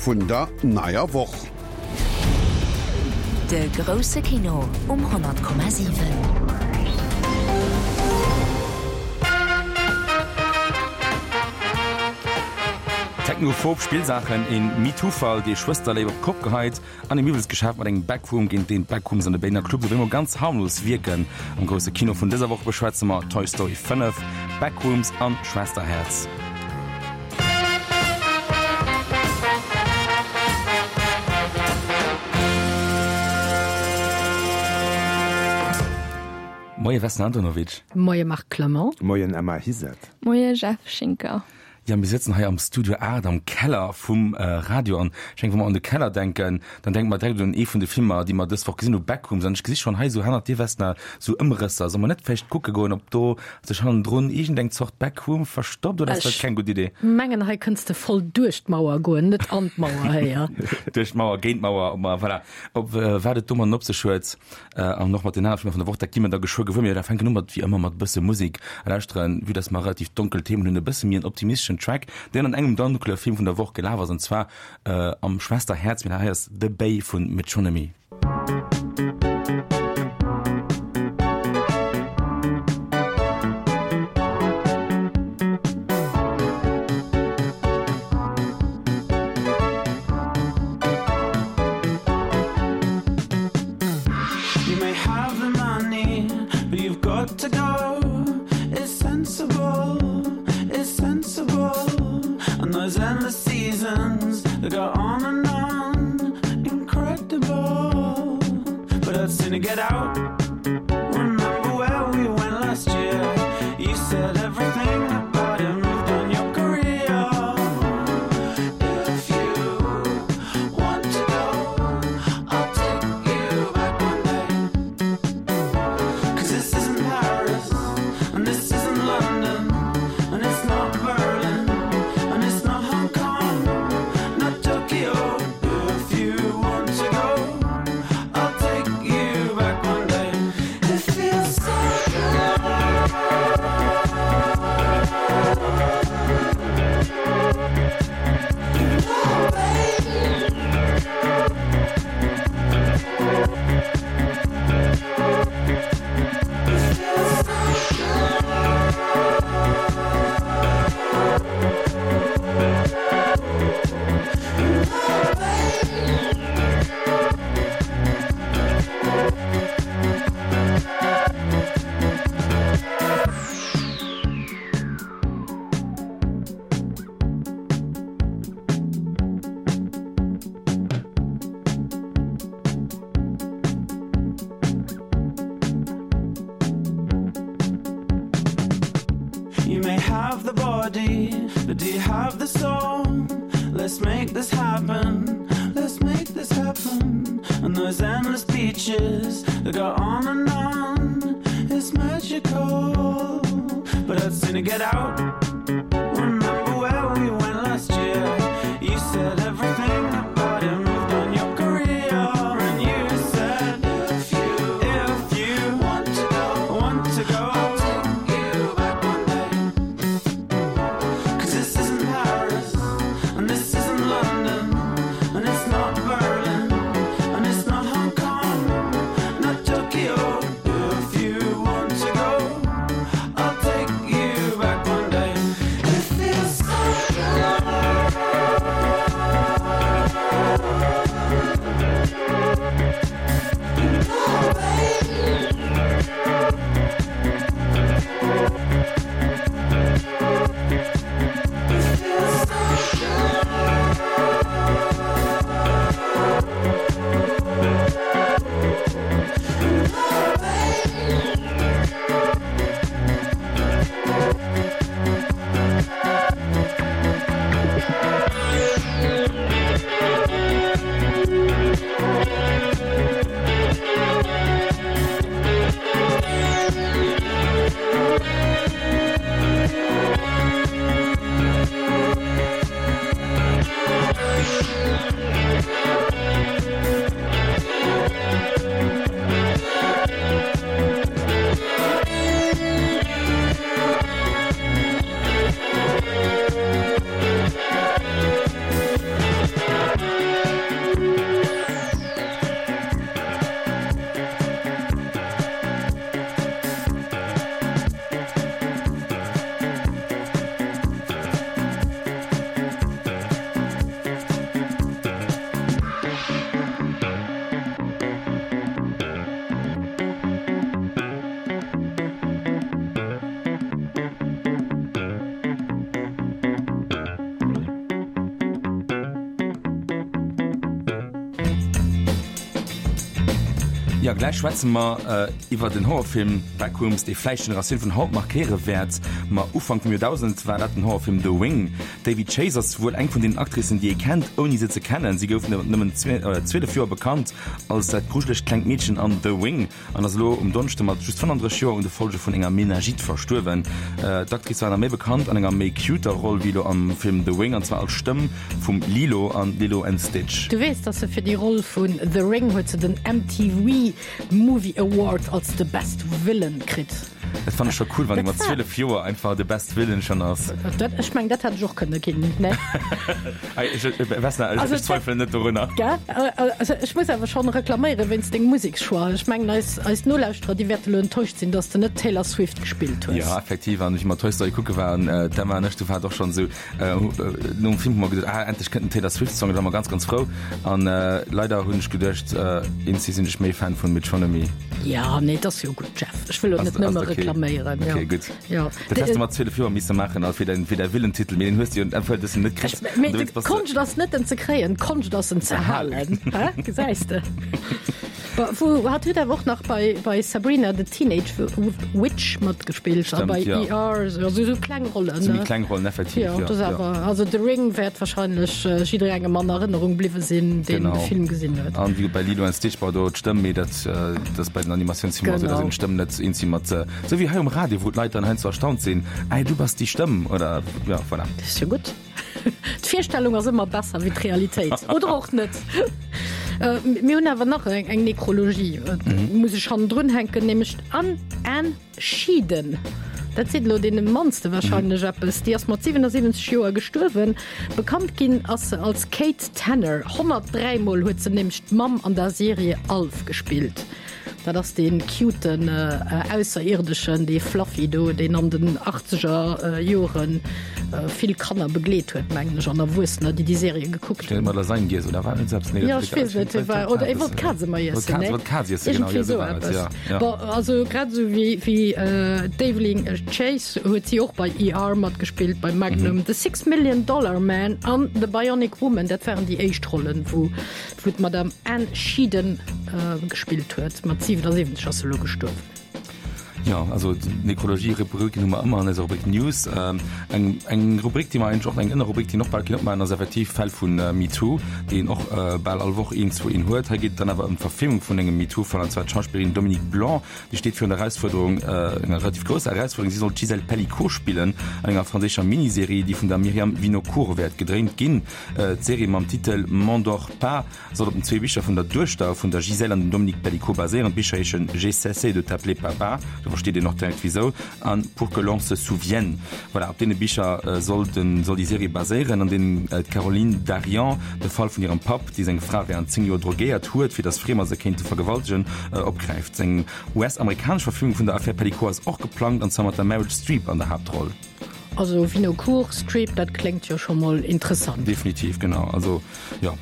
vun der neier Woch. De grousse Kino um 100,7. Technophob Spillsaachen, een MeToo-Fall, dee Schwësterléif op d'Kopp geheit, an e Miwwelsgeschäft mat engem Backroom, géint deen d'Backrooms an de Berliner Clubs op eemol ganz harmlos wierken. Am grousse Kino vun dëser Woch beschwätze mer Toy Story 5, Backrooms an Schwesterhäerz. Moie Vesna Antonovic. Moie Marc Clement. Moien Emma Hizet. Moie Jeff Schinker. Jo, mir sëtzen hei am Studio 8 am Keller vum Radio an ech denken, wa mer un de Keller denken, dann denke mer direkt un ee vun de Filmer, déi mer dës Woch gesinn hu, Backrooms. An ech gesi schonn hei esou hannert dir, Vesna, esou Ëmrësser. Solle mer net vläicht kucke goen, ob do sech hannendrun iergendeng Zort Backroom verstoppt, oder ass dat keng gutt Idee? Ech mengen, hei kënns de voll duerch d'Mauer goen, net an d'Mauer héier. Duerch d'Mauer, géint d'Mauer, ob mer, voilà, ob wat et domatten op sech huet. An och mat den anere Filmer vun der Woch, dat gi mer da geschwë gewuer. Mir fänken u mat, wéi ëmmer, mat e bësse Musek a lauschteren, vue dass mer relativ donkel Themen hunn, e bësse méi en optimisteschen Track, deen an engem donkele Film vun der Woch gelaf ass, an zwar am Schwesterhäerz. Mee hei ass The Bay vu Metronomy. You may have the money, but you've got to go. It's sensible, it's sensible. And those endless seasons that go on and on, incredible. But I'd sooner get out. Remember where we went last year? You said everything about it moved on your career. If you want to go, I'll take you back one day. 'Cause this isn't Paris, and this isn't London, and it's not Berlin, and it's not Hong Kong, not Tokyo. If you want to go, I'll take you back one day. It feels so good. You may have the body, but do you have the soul? Let's make this happen. Let's make this happen. And those endless beaches that go on and on. It's magical. But I'd sooner get out. Remember where we went last year? You said everything about it moved on your career. And you said if you, if you want to go, want to go, I'll take you back one day. 'Cause this isn't Paris, and this isn't London, and it's not Berlin, and it's not Hong Kong, not Tokyo. If you want to go, I'll take you back one day. It feels so good. Oh, baby. It feels so good. Oh, baby. Jo, gläich schwätze mer iwwer den Horrorfilm Backrooms, dee vläicht d'Generatioun vun haut markéiere wäert. Ma Ufank vum Joerdausend war dat den Horrorfilm The Ring. D'Daveigh Chase ass wuel eng vun deenen Actricen, déi ee kennt, ouni se ze kennen. Si gouf nëmmen 12 Joer bekannt als dat grujelegt klengt Meedchen an The Ring an ass elo um Donneschde mat just 35 Joer un de Folge vun enger Meningite verstuerwen. D'Actrice war nach méi bekannt an enger méi cuter Roll wéi elo am Film The Ring, an zwar als Stëmm Vum Lilo an Lilo and Stitch. Du weess, dass se fir déi Roll vun The Ring huet se den MTV Movie Award als the best villain kritt. Dat fannen ech scho cool, wann ee mat 12 Joer einfach de best villain schon ass. Dat, ech meng, dat hätt ech och kënne ginn, ne? Ech, Vesna, ech, ech zweifelen net dorunner. Gell? Also ech muss awer schonn reklaméieren wéinst dengem Musekschoix. Ech mengen, eis, eis Nolauschterer, déi wäerte lo enttäuscht sinn, dass de net Taylor Swift gespillt hues. Jo, effektiv. An wéi mer Toy Story kucke waren, d'Emma an ech, du war et och schonn esou, Nom Film hu mer geduet, ah endlech kënnt den Taylor Swift Song, da war mer ganz ganz frou. An leider hunn ech geduecht, eenzi sinn ech méi Fan vun Metronomy. Ja, nee, et ass jo gutt, Jeff. Ech wëll och net nëmme reklaméieren. Ok, gutt. Jo. Dat häss de mat 12 Joer misse maachen a fir däin, fir däi Willentitel, mee deen hues de jo entweder net kritt. Mee d'Konscht ass net en ze kréien, d'Konscht ass en ze halen. Hä? Gesäis de? Wou hat huet awer och nach bei bei Sabrina the Teenage Witch matgespillt a bei ER also sou kleng Rollen. Sou méi kleng Rollen effektiv jo. Jo, awer also The Ring wäert wahrscheinlech jidderengem an Erënnerung bliwwe sinn, deen de Film gesinn huet. An wéi bei Lilo and Stitch war do d'Stëmm, mee dat ass bei den Animatiounsfilmer esou, da sinn d'Stëmm net eens mat sou wéi hei um Radio, wou d'Leit dann heiansdo erstaunt sinn, Ei du bass déi Stëmm oder jo voilà. Dat ass jo gutt. D'Virstellung ass ëmmer besser wéi d'Realitéit. Oder och net. Mir hunn awer nach eng Nekrologie, muss ech hannendrun hänken, nämlech d'Ann, Anne Schedeen. Dat seet elo deene mannste warscheinlech eppes. Déi ass mat 77 Joer gestuerwen. Bekannt ginn ass se als Kate Tanner. 103 Mol huet se nämlech d'Mamm an der Serie Alf gespillt. Dat ass dee cuten Ausserierdeschen, dee Fluffy do, deen an den achtzeger Jore vill Kanner begleet huet, mengen ech, an Erwuessener, déi déi Serie gekuckt hunn. Mat Lasagne giess, oder war net selbst? Nee, jo, ech weess net, war, oder e wollt Kaz ëmmer iessen, ne? Wollt Kaz iessen, genau, iergendwéi esou eppes. Bon, also grad esou wéi, wéi d'Evelyn Chase huet si och bei ER matgespillt, bei Magnum, The Six Million Dollar Man an The Bionic Woman, dat waren déi éischt Rollen, wou Wou d'Madame Anne Schiden gespillt huet. Mat 77 ass se elo gestuerwen. Jo, also d'Nekrologie-Rubriken hu mer ëmmer an eiser Rubrik News. Eng, eng Rubrik, déi mer eigentlech och, eng Ënnerrubrik, déi een och bal kéint opmaachen, ass effektiv Fäll vu MeToo, déi een och bal all Woch een, zwou een huet. Hei geet et dann awer ëm d'Verfilmung vun engem MeToo-Fall, an zwar d'Schauspillerin Dominique Blanc, déi steet virun der Erausfuerderung, enger relativ grousser Erausfuerderung, si soll d'Gisèle Pelicot spillen an enger franséischer Miniserie, déi vun der Myriam Vinocourt wäert gedréint ginn. D'Serie mam Titel M'endors pas soll op den zwee Bicher vun der Duechter vun der Gisèle an dem Dominique Pelicot baséieren. D'Bicher heeschen J'ai cessé de t'appeler papa, do versteet een och direkt wisou, an Pour que l'on se souvienne. Voilà, op deene Bicher soll den soll déi Serie baséieren, an deenen d'Caroline Darian de Fall vun hirem Papp, dee seng Fra wärend 10 Joer drogéiert huet, fir datt Friemer se kéinte vergewaltegen, opgräift. Seng US-amerikanesch Verfilmung vun der Affär Pelicot ass och geplangt, an zwar mat der Meryl Streep an der Haaptroll. Also Vinocourt Street, dat kléngt jo scho mol interessant. Definitiv, genau. Also jo.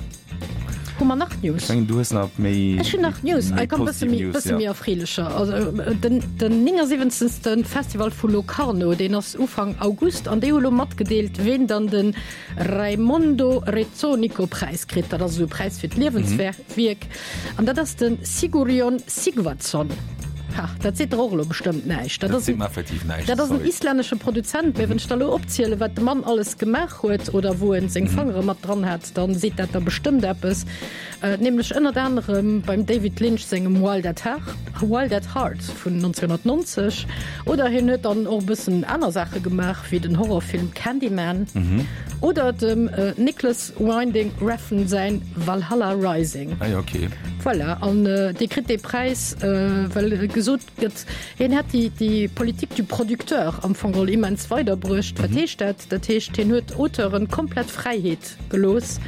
Hu mer nach News? Ech mengen du hues nach méi. Ech hunn nach News. Hei komm, bësse méi, bësse méi erfreelecher. Also den, den 79. Festival vu Locarno, deen ass Ufank August an déi hu lo matgedeelt, ween dann de Raimondo Rezzonico Präis kritt. Dat ass esou e Präis fir d'Liewenswerk. Wierk, an dat ass de Sigurjón Sigvardsson. Ha, dat seet der och elo bestëmmt näischt. Dat seet mer effektiv näischt, Dat ass en islännesche Produzent, mee wann ech der elo opzielen, wat de Mann alles gemaach huet oder wou en seng Fangere mat dran hat, dann seet dat der bestëmmt eppes. Nämlech ënnert anerem beim David Lynch sengem Wild at Heart, Wild at Heart vun 1990. Oder hien huet dann och e bëssen aner Saache gemaach, wéi den Horrorfilm Candyman oder dem Nicholas Winding Refn säin Valhalla Rising. Ah jo, okay. Voilà, an dee kritt dee Präis, well gesot gëtt, hien hätt déi, déi Politique du producteur am Fong geholl immens weiderbruecht. Wat heescht dat? Dat heescht, hien huet Auteuren komplett Fräiheet gelooss,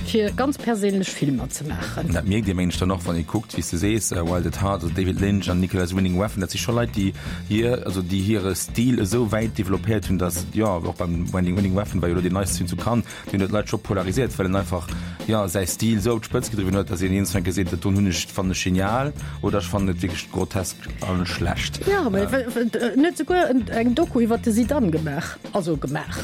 fir ganz perséinlech Filmer ze maachen. Dat mierkt ee mengen ech dann och, wann ee kuckt, wéi s de sees, Wild at Heart, also David Lynch an Nicolas Winding Refn, dat si scho Leit, déi hir, also déi hire Stil esou wäit developpéiert hunn, datt, jo, och beim Winding Refn war jo elo deen neiste Film zu Cannes, Deen huet d'Leit scho polariséiert, well en einfach. Jo, säi Stil esou op d'Spëtz gedriwwen huet, datt een iergendwann geseet, dat doen hunn ech, fannen ech genial oder ech fannen et wierklech grotesk a schlecht. Jo, mä en huet souguer eng Doku iwwer de Zidane gemaach, also gemaach,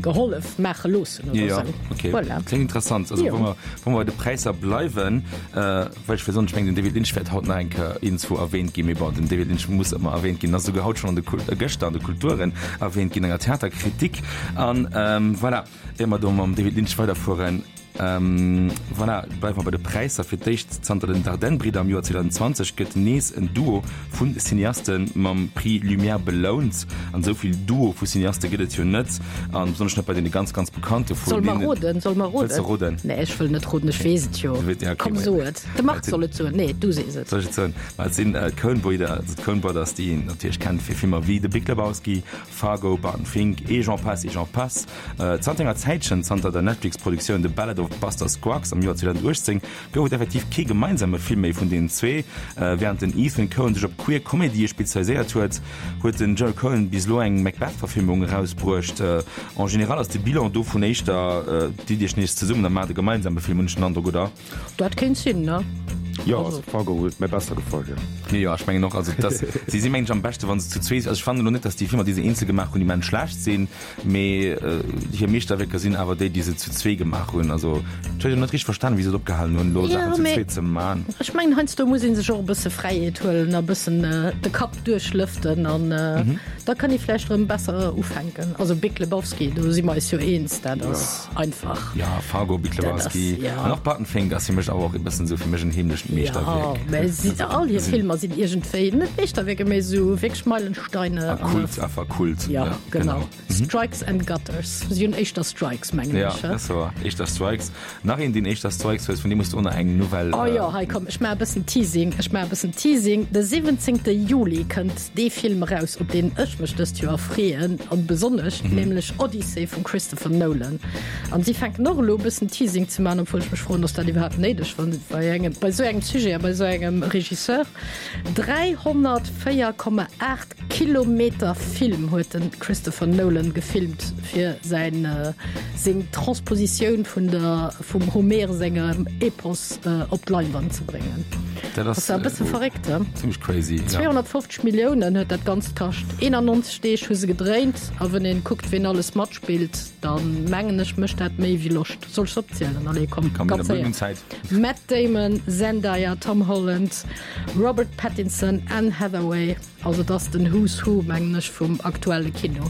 gehollef maache loossen oder esou. Jo, okay. Voilà. Kléngt interessant. Also wa mer, wa mer bei de Präisser bleiwen, well ech wëll soen, ech mengen den David Lynch wäert haut nach eng Kéier iergendzwou erwähnt ginn, mee bon, den David Lynch muss ëmmer erwähnt ginn, ass esouguer haut schonn an de Kul-, gëschter an de Kulturen erwähnt ginn, enger Theaterkritik an voilà. Ier mer do mam David Lynch weiderfueren, voilà, bleiwe mer bei de Präisser. Fir d'éischt zanter den Dardenne-Bridder am Joer 2020 gëtt nees en Duo vu Cineaste mam Prix Lumière belount. An esou vill Duo vu Cineaste gëtt et jo net, a besonnesch net bei deene ganz, ganz bekannte vun deenen. Solle mer roden? Solle mer roden? Wëlls de roden? Nee, ech wëll net roden, ech weess et jo. Komm, so et. De Marc soll et soen. Nee, du sees et. Soll ech et soen? Ma et sinn d'Coen-Bridder, also d'Coen Brothers, déi een natierlech kennt fir Filmer wéi The Big Lebowski, Fargo, Barton Fink, et j'en passe et j'en passe. Zanter enger Zäitchen, zanter der Netflix-Produktioun The Ballad of Buster Scruggs am Joer 2018, gouf et effektiv kee gemeinsame Film méi vun deenen zwee. Wärend den Ethan Coen sech op queer Komedië spezialiséiert huet, huet den Joel Coen bis elo eng Macbeth-Verfilmung erausbruecht. En général ass de Bilan dovun éischter, Ditt iech nees zesummen a maacht e gemeinsame Film, hunn ech den Androck, oder? Dat kéint sinn, ne? Jo, also Fargo huet mir besser gefall, jo. Jo, jo, ech mengen och, also dass si si mengen ech am beschte wa se zu zwee sinn. Also ech fannen elo net, dass déi Filmer, déi se eenzel gemaach hunn, immens schlecht sinn, mee hir Meeschterwierker sinn awer déi, déi se zu zwee gemaach hunn. Also ech huet jo net richteg verstanen, wéi se et opgehalen hunn, elo Saachen zu zwee ze man. Ech mengen heiansdo muss ee sech och e bësse Fräiheet huelen a bëssen de Kapp duerchlëften an da kann ee vläicht erëm besser ufänken. Also Big Lebowski, do si mer eis jo eens, dat ass. Einfach. Ja, Fargo, Big Lebowski an och Barton Fink ass fir mech awer och e bëssen esou fir mech en heemlecht Meeschterwierk. Ja, mä si, all hir Filmer sinn iergendwéi net Meeschterwierker, mä esou wierklech Meilensteine. A Kult, einfach Kult. Ja, ja genau. genau. Mhm. Strikes and Gutters. Si hunn éischter Strikes, mengen ech. Ja, dat ass wouer. Éischter Strikes. Nach een, deen éischter Strikes huet, vun deem hues du och nach eng Nouvelle. Oh jo, hei komm, ech maache e bëssen Teasing. Ech maache e bëssen Teasing. De 17. Juli kënnt dee Film eraus, op deen ech mech dëst Joer freeën, an besonnesch, nämlech Odyssey vum Christopher Nolan. An si fänken och elo e bëssen Teasing ze maachen, obwuel ech mech froen, ass dat iwwerhaapt néideg, wann bei engem, bei esou engem Sujet a bei esou engem Regisseur. 304,8 Kilometer Film huet de Christopher Nolan gefilmt fir säin, seng Transpositioun vun der, vum Homer sengem Epos op d'Leinwand ze bréngen. Dat ass e bësse verréckt, he? Zimmlech crazy, ja. 250 Milliounen huet dat Ganzt kascht. 91 Deeg hu se gedréint. A wann een kuckt, ween alles matspillt, da mengen ech, mécht dat méi wéi Loscht. Soll ech se opzielen? Allez, komm, ganz séier. Matt Damon, Zendaya, Tom Holland, Robert Pattinson, Anne Hathaway. Also et ass den Who's Who, mengen ech, vum aktuelle Kino.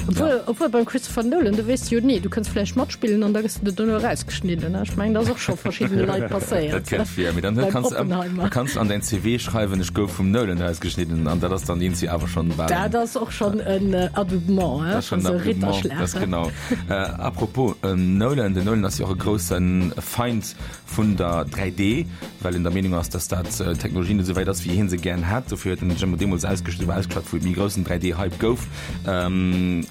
Obwuel, ja. obwuel beim Christopher Nolan, du weess jo ni, du kënns vläicht matspillen an da gëss du dono erausgeschnidden. Ech mengen, dat ass och scho verschiddene Leit passéiert. Dat kënnt vir, mee dann kanns du da kanns du an däin CV schreiwen, ech gouf vum Nolan erausgeschnidden an dat ass dann eenzi awer schonn bal. Dat ass och schonn en Adoubement, hein? Dat ass schonn en Adoubement, dat ass genau. Apropos Nolan, den Nolan ass jo och e grousse Feind vun der 3D, well en der Meenung ass, dass dat d'Technologie net esou wäit ass, wéi hien se gären hätt. Dofir huet en sech ëmmer deemools ausgeschriwwen, ausgeschwat, wou et méi groussen 3D-Hype gouf,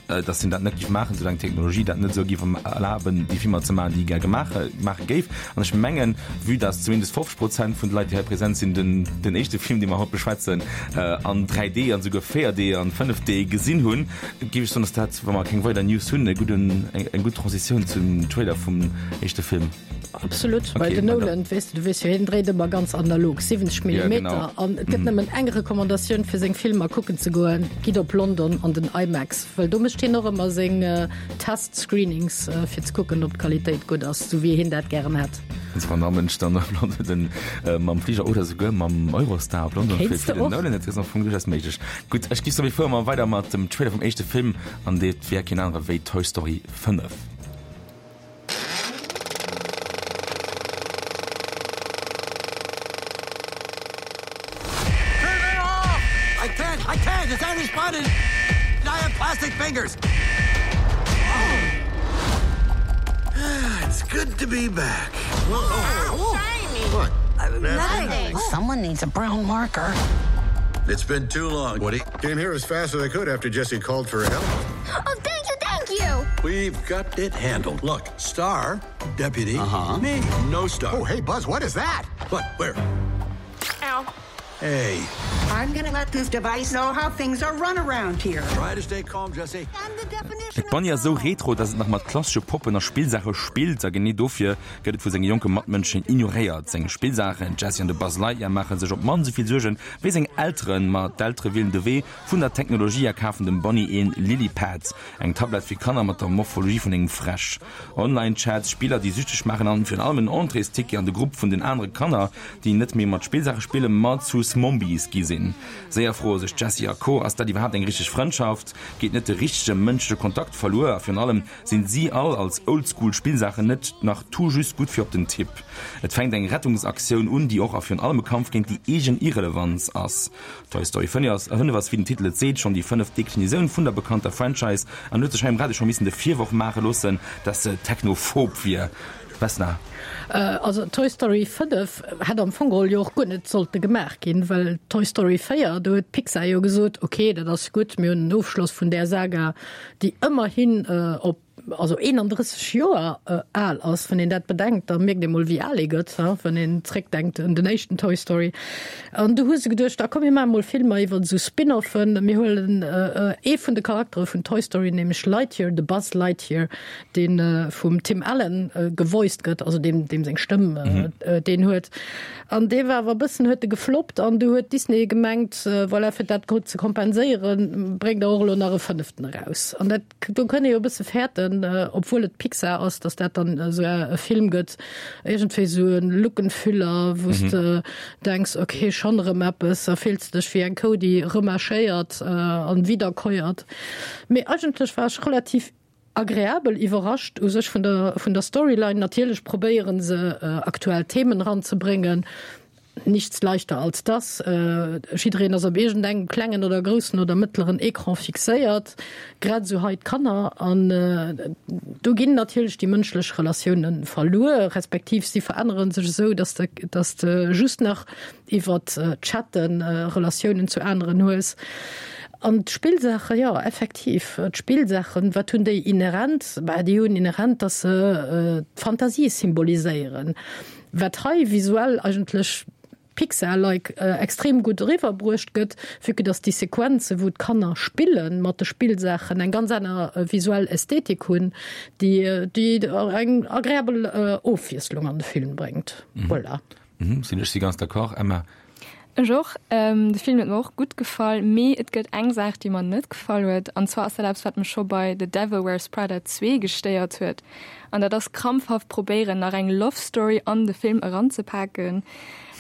dass hien dat net géif maachen, soulaang d'Technologie dat net esou géif erlaben, déi Filmer ze maachen, déi e gär gemaach maache géif. An ech mengen, vue dass zumindest 50 Prozent vun de Leit, déi hei present sinn, den den éischte Film, dee mer haut beschwätzen, an 3D an esouguer 4D an 5D gesinn hunn, géif ech soen, dass dat, wa mer keng weider News hunn, e gudden, eng gutt Transitioun zum Trailer vum éischte Film. Absolut, well den Nolan, weess de, du weess jo, hien dréit ëmmer ganz analog, 70 Millimeter, an et gëtt nëmmen eng Recommandatioun fir seng Filmer kucken ze goen, gitt op London an den IMAX, well do mécht hien och ëmmer seng Test-Screenings, fir ze kucken, ob d'Qualitéit gutt ass, sou wéi hien dat gären hätt. Also wann der Mënsch dann op London den mam Fliger oder souguer mam Eurostar op London flitt fir den Nolan, dat ass am Fong duerchaus méiglech. Gutt, ech gi soen, mir fuere mol weider mat dem Trailer vum éischte Film, an dat wär keen anere wéi Toy Story 5. Turn it off! I can't, I can't! It's only spotted! I have plastic fingers! Oh. It's good to be back. Oh, shiny. What? Uh, nothing. Someone needs a brown marker. It's been too long, Woody. Came here as fast as I could after Jesse called for help. Oh, thank you, thank you. We've got it handled. Look, star, deputy, uh -huh. me, no star. Oh, hey, Buzz, what is that? What? Where? Ow. Hey. I'm gonna let this device know how things are run around here. Try to stay calm, Jesse. De Bonnie ass esou retro, dass et nach mat klassesche Poppen a Spillsaache spillt a genee dofir gëtt et vu senge jonke Matmënschen ignoréiert. Seng Spillsaachen, d'Jessie an de Buzz Lightyear, maache sech op d'mannst esou vill Suergen wéi seng Elteren. Ma d'Eltere wielen de Wee vun der Technologie a kafen dem Bonnie een Lilypad, eng Tablett fir Kanner mat der Morphologie vun engem Fräsch. Online-Chats, Spiller déi süchteg maachen an virun allem en Entréesticket an de Grupp vun den anere Kanner, déi net méi mat Spillsaache spillen, ma zu Smombies gi sinn. Séier froe sech d'Jessie a Co, Ass dat iwwerhaapt eng richteg Frëndschaft? Geet net de richtege mënschleche Kontakt verluer? A virun allem, sinn si all als Oldschool Spillsaachen net nach tout juste gutt fir op den Tipp? Et fänkt eng Rettungsaktioun un, déi och a virun allem e Kampf géint déi eegen Irrelevanz ass. Toy Story 5 ass, 5 ass, wéi den Titel et seet, schonn déi fënneft Deklinisioun vun der bekannter Franchise an huet sech hei um Radio scho missen de Virworf maache loossen, dass se technophob wier. Vesna. Also Toy Story 5 hätt am Fong geholl jo och guer net sollte gemaach ginn, well Toy Story 4, do huet Pixar jo gesot, ok, dat ass gutt, mir hunn en Ofschloss vun där Saga, déi ëmmerhin op also 31 Joer al ass. Wann een dat bedenkt, da mierkt ee mol, wéi al ee gëtt, wann een zréckdenkt un den éischten Toy Story. An du hu se geduecht, da komm mir maache mol Filmer iwwer esou Spin-offen. Mir huelen ee vun de Charaktere vun Toy Story, nämlech Lightyear, de Buzz Lightyear, dee vum Tim Allen gevoiced gëtt, also deem deem seng Stëmm deen huet. An dee war awer e bëssen, huet e gefloppt an du huet Disney gemengt, voilà, fir dat ze kompenséieren, bréngt der och elo nach e fënneften eraus. An dat, do kënn ee jo e bësse fäerten, obwuel et Pixar ass, datt dat dann esou e Film gëtt, iergendwéi esou e Lückenfüller, wou s de denks, ok, schonn erëm eppes, a fills dech wéi eng Kou, déi remarschéiert an wiederkäuert. Mee eigentlech war ech relativ Agreabel iwwerrascht u sech vun der vun der Storyline. Natierlech probéieren se aktuell Themen eranzebréngen, nichts leichter als das. Jiddereen ass op iergendengem klengen oder groussen oder mëttleren Ecran fixéiert, grad esou hei d'Kanner. An do ginn natierlech déi mënschlech Relatioune verluer, respektiv si verännere sech esou, dass de dass de just nach iwwert Chatten Relatiounen zu aneren hues. An d'Spillsaache, jo, effektiv, d'Spillsaachen, wat hunn déi inhärent? Bah, déi hunn inhärent, datt se d'Fantasie symboliséieren, wat hei visuell eigentlech Pixar-like extrem gutt eriwwerbruecht gëtt, vue que datt déi Sequenze wou d'Kanner spille mat de Spillsaachen eng ganz aner visuell Ästhetik hunn, déi déi eng agreabel Ofwiesslung an de Film bréngt. Voilà. Mhm, sinn ech si ganz d'accord, Emma. Ech och. De Film huet mer och gutt gefall, mee et gëtt eng Saach, déi mer net gefall huet, an zwar ass dat eppes, wat mech scho bei The Devil Wears Prada 2 gestéiert huet, an dat ass krampfhaft probéieren, nach eng Love Story an de Film eranzepaken.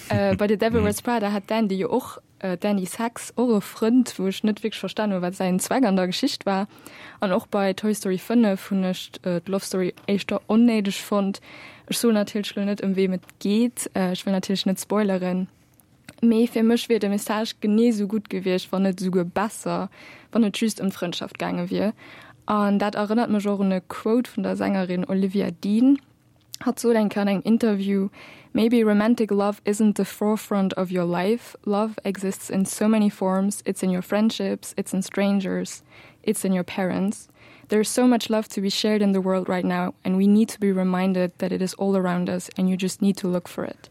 Bei The Devil Wears Prada hat d'Andy jo och D'Andy Sachs, och e Frënd, wou ech net wierklech verstan hunn, wat säin Zweck an der Geschicht war. An och bei Toy Story 5 hunn ech d'Love Story éischter onnéideg fonnt. Ech soen natierlech elo net, ëm weem et geet, ech wëll natierlech net spoileren, mee fir mech wier de Message genee sou gutt gewiescht, wann net esouguer besser, wann et just ëm d'Frëndschaft gaange wier. An dat erënnert mech och un e Quote vun der Sängerin Olivia Dean. Hatt sot eng Kéier an engem Interview, Maybe romantic love isn't the forefront of your life, love exists in so many forms, it's in your friendships, it's in strangers, it's in your parents. There is so much love to be shared in the world right now and we need to be reminded that it is all around us and you just need to look for it.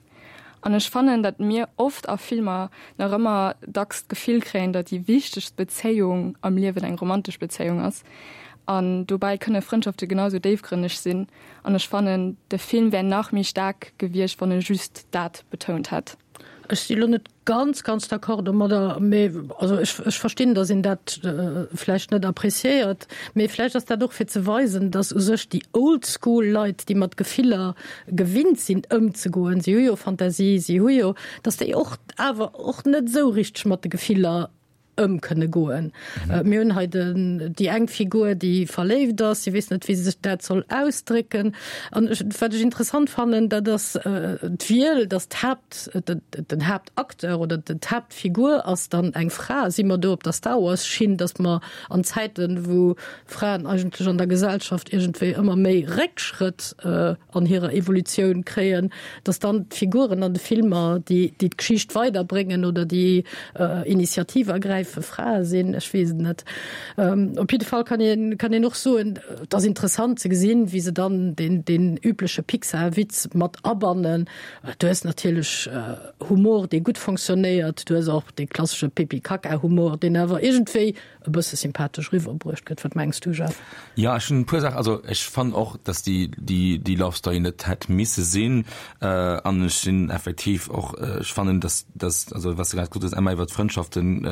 An ech fannen, datt mir oft a Filmer nach ëmmer dacks d'Gefill kréien, datt déi wichtegst Bezéiung am Liewen eng romantesch Bezéiung ass. An dobäi kënne Frëndschafte genau sou déifgrënneg sinn. An ech fannen, de Film wär nach méi staark gewiescht, wann e just dat betount hätt. Ech si lo net ganz, ganz d'accord domadder, mee also ech, ech verstinn, datt een dat vläicht net appréciéiert, mee vläicht ass dat och fir ze weisen, datt u sech déi Old-School Leit, déi mat Gefiller gewinnt sinn ëmzegoen, si hu jo Fantasie, si hu jo, datt déi och awer och net esou richteg mat de Gefiller ëm kënne goen. Mir hunn hei den, déi eng Figur, déi verléift ass, si weess net, wéi se sech dat soll ausdrécken. An ech, wat ech interessant fannen, dat ass d'Wiel, datt d'Haapt, den Haaptacteur oder d'Haaptfigur ass dann eng Fra. Si mer do op der Star Wars-Schinn, datt mer an Zäiten, wou Fraen eigentlech an der Gesellschaft iergendwéi ëmmer méi Réckschrëtt an hirer Evolutioun kréien, dass dann d'Figuren an de Filmer, déi déi d'Geschicht weiderbréngen oder déi Initiativ ergräifen. räife Frae sinn, ech weess et net. Op jidde Fall kann een, kann een och soen, et ass interessant ze gesinn, wéi se dann deen, deen übleche Pixar-Witz mat abannen. Du hues natierlech Humor, dee gutt fonctionnéiert, du hues och dee klassesche Pipi-Kaka-Humor, deen awer iergendwéi e bësse sympathesch eriwwerbruecht gëtt. Wat mengs du, Jeff? Jo, ech hunn e puer Saachen. Also ech fannen och, datt déi, déi, déi Love Story net hätt misse sinn. An ech sinn effektiv och, ech fannen, datt, datt, also wat s de grad gesot hues, Emma, iwwer d'Frëndschaften,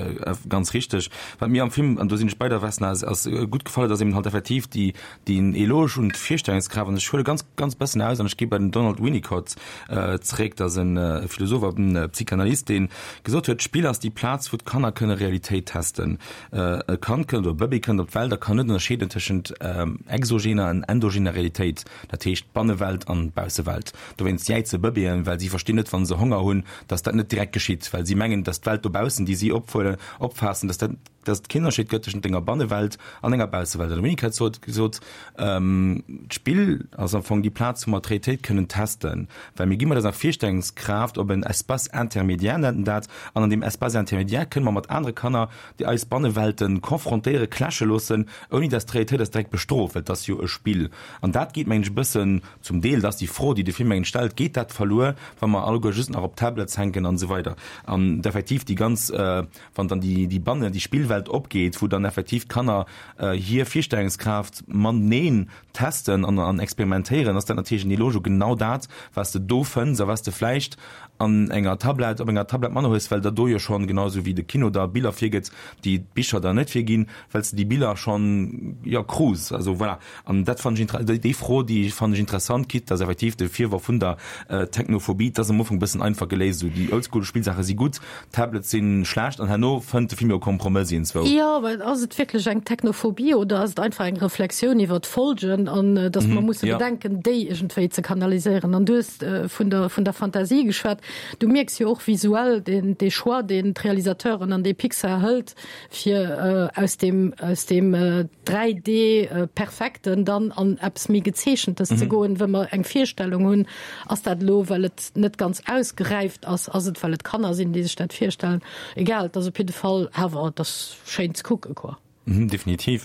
ganz richteg. Wat mir am Film, an do sinn ech bei der Vesna, ass, ass gutt gefall huet, ass eben halt effektiv déi, deen Eloge un d'Virstellungskraaft. An ech huele ganz, ganz bëssen aus an ech gi bei den Donald Winnicott zeréck, dat ass e Philosoph a Psychanalyst, dee gesot huet, D'Spill ass déi Plaz, wou d'Kanner kënne Realitéit testen. E Kand kënnt oder e Bëbee kënnt op d'Welt a kann net ënnerscheeden tëschent exogener an endogener Realitéit, dat heescht d'Bannewelt an d'Baussewelt. Dowéinst jäize Bëbeeën, well si verstinn net, wa se Honger hunn, datt dat net direkt geschitt, well si mengen, datt d'Welt dobaussen, déi si ophuelen, opfaassen, datt dat dass et keen Ënnerscheed gëtt tëschent denger Bannewelt an enger Baussewelt. An de Winnicott sot gesot, d'Spill ass am Fong déi Plaz, wou mer d'Realitéit kënnen testen, well mir gi mat eiser Virstellungskraaft op en Espace intermédiaire, nennt en dat, an an deem Espace intermédiaire kënne mer mat anere Kanner, déi eis Bannewelten confrontéieren, clashe loossen, ouni dass d'Realitéit eis direkt bestrooft, well et ass jo e Spill. An dat geet, mengen ech, e bëssen zum Deel, dat ass déi Fro, déi de Film, mengen ech, stellt, geet dat verluer, wa mer alleguer just nach op Tablets hänken an esou weider. An effektiv déi ganz wann dann déi, déi Banne, déi Spillwelt opgeet, wou dann effektiv d'Kanner hir Virstellungskraaft mateneen testen an, an experimentéieren, ass dat natierlech en Eloge u genau dat, wat s de do fënns a wat s de vläicht an enger Tablett, op enger Tablett manner hues, well der do jo schonn, genau esou wéi de Kino der Biller virgëtt, déi d'Bicher der net virginn, well s de déi Biller schonn, jo, krus. Also voilà. An dat fannen ech inter-, déi, déi Fro, déi fannen ech interessant, quitte dass effektiv de Virworf vun der Technophobie, dat ass am Ufank e bëssen einfach geléist, esou déi Oldschool-Spillsaache si gutt, Tablets si schlecht an herno fënnt de Film jo e Kompromëss iergendzwou. Jo, mä ass et wierklech eng Technophobie oder ass et einfach eng Reflexioun iwwer d'Folgen an dass mer musse bedenken, déi iergendwéi ze kanaliséieren? An du hues vun der, vun der Fantasie geschwat. Du mierks jo och visuell deen, dee Choix, deen d'Realisateuren an dee Pixar hëlt, fir aus deem, aus deem 3D perfekten dann an eppes méi gezeechentes ze goen, wou mer eng Virstellung hunn, ass dat elo well et net ganz ausgeräift ass, ass et well et Kanner sinn, déi sech dat virstellen, egal, et ass op jidde Fall awer, et ass schéin ze kucken, quoi. Definitiv.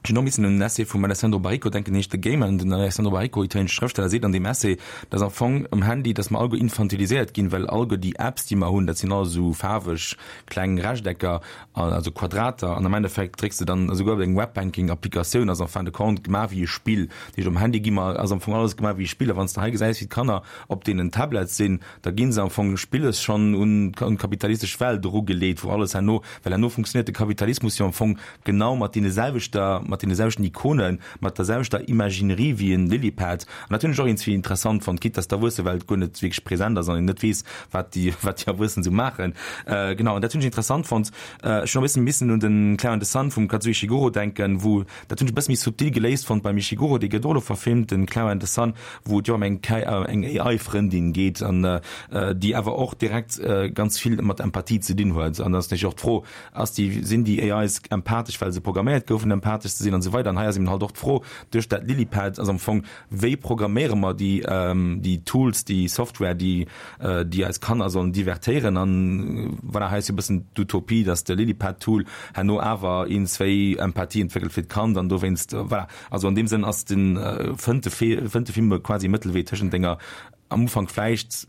Ech hunn och missen un en Essai vum Alessandro Baricco denken, deen heescht The Gamer. An den Alessandro Baricco, italienesche Schrëftsteller, seet an deem Essai, dass am Fong um Handy, dass mer alleguer infantiliséiert ginn, well alleguer déi Apps, déi mer hunn, dat sinn alles esou faarweg kleng Rechtecker, also Quadrater, an am Endeffekt drécks de dann, esouguer deng Webbanking-Applikatioun ass en fin de compte gemaach wéi e Spill. Dat heescht, um Handy gi mer, ass am Fong alles gemaach wéi e Spill. A wann s de hei gesäis, wéi d'Kanner op deenen Tablets sinn, da gi se am Fong spilles schonn un d'kapitalistesch Welt erugeleet, wou alles herno, well herno funktionéiert de Kapitalismus jo am Fong genau mat deene selwechter, mat deene selwechten Ikonen, mat der selwechter Imaginerie wéi en Lilypad. An dat hunn ech och iergendswéi interessant fonnt, quitte dass d'Erwuessewelt guer net wierklech present ass an een net weess, wat déi, wat déi Erwuessen esou maachen. Genau, an dat hunn ech interessant fonnt. Ech hunn och e bëssen missen un den Clara and the Sun vum Kazuo Ishiguro denken, wou, dat hunn ech e bësse méi subtil geléist fonnt beim Ishiguro, dee gëtt och elo verfilmt, den Clara and the Sun, wou et jo ëm eng KI, eng AI-Frëndin geet an déi awer och direkt ganz vill mat Empathie ze dinn huet. An da ass natierlech och d'Fro, Ass déi, sinn déi AIs empathesch, well se programméiert goufen empathesch ze sinn an esou weider. An hei ass eben halt och d'Fro duerch dat Lilypad ass am Fong, wéi programméiere mer déi, déi Tools, déi Software, déi, déi eis Kanner sollen divertéieren. An voilà, hei ass jo e bëssen d'Utopie, dass de Lilypad-Tool herno awer iergendswéi Empathie entwéckelt fir d'Kand an dowéinst, voilà. Also an deem Sënn ass den, fënnt de, fënnt de Film quasi e Mëttelwee tëschent denger Am Ufank vläicht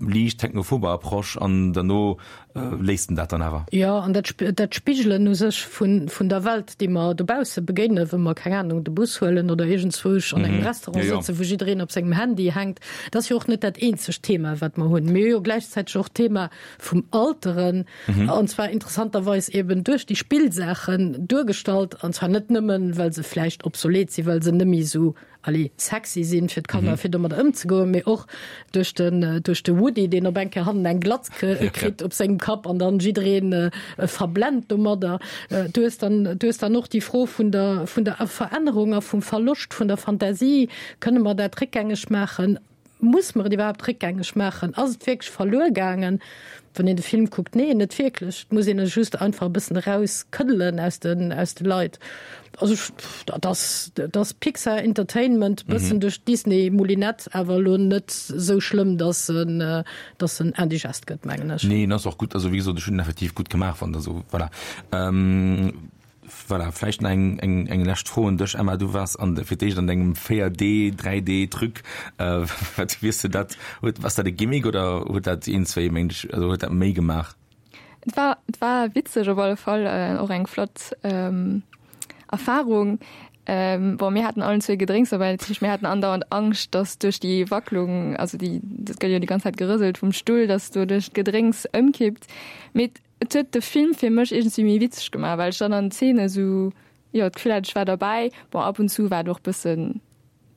liicht technophober Approche an derno léisst en dat dann awer. Jo, an dat dat Spigelen u sech vun vun der Welt, déi mer dobausse begéinen, wa mer, keng Anung, de Bus huelen oder iergendzwousch an engem Restaurant sëtzen, wou jiddereen op sengem Handy hänkt, dat ass jo och net dat eenzegt Thema, wat mer hunn. Mir hu jo gläichzäiteg och d'Thema vum Alteren, an zwar interessanterweis eben duerch déi Spillsaachen duergestallt, an zwar net nëmmen, well se vläicht obsolet sinn, well se net méi esou allez, sexy sinn fir d'Kanner, fir domadder ëmzegoen, mee och duerch den, duerch de Woody, deen op eng Kéier hannen eng Glatz kritt op sengem Kapp an dann jiddereen verblent domadder. Du hues dann, du hues dann och déi Fro vun der, vun der Verännerung a vum Verloscht vun der Fantasie. Kënne mer dat réckgängeg maachen? Muss mer et iwwerhaapt réckgängeg maachen? Ass et wierklech verluer gaangen? Wann een de Film kuckt, nee, net wierklech. Et muss een e just einfach e bëssen erauskëddelen aus den, aus de Leit. Also ech, dat ass, dat ass Pixar Entertainment, bëssen duerch d'Disney Moulinette, awer elo net esou schlëmm, dass en, dass en indigest gëtt, mengen ech. Nee, en ass och gutt, also wéi gesot, ech hunn en effektiv gutt gemaach fonnt, also voilà. Voilà, vläicht nach eng, eng, eng lescht Fro un dech, Emma. Du waars an, fir d'éischt an dengem 4D, 3D-Truc. Wat, wéi hues de dat, huet, ass dat e Gimmick oder huet dat een, zwéi Méint, also huet dat méi gemaach? Et war, et war witzeg op alle Fall, och eng flott Erfahrung. Bon, mir haten allen zwéi Gedrénks dobäi, dat heescht mir haten andauernd Angscht, dass duerch déi Wacklung, also déi, dat gëtt jo déi ganz Zäit gerëselt vum Stull, dass doduerch d'Gedrénks ëmkippt. Mee Et huet de Film fir mech iergendwéi méi witzeg gemaach, well ech dann an Zeene sou, jo, d'Gefill hat, ech war derbäi. Bon, ab und zu war et och bëssen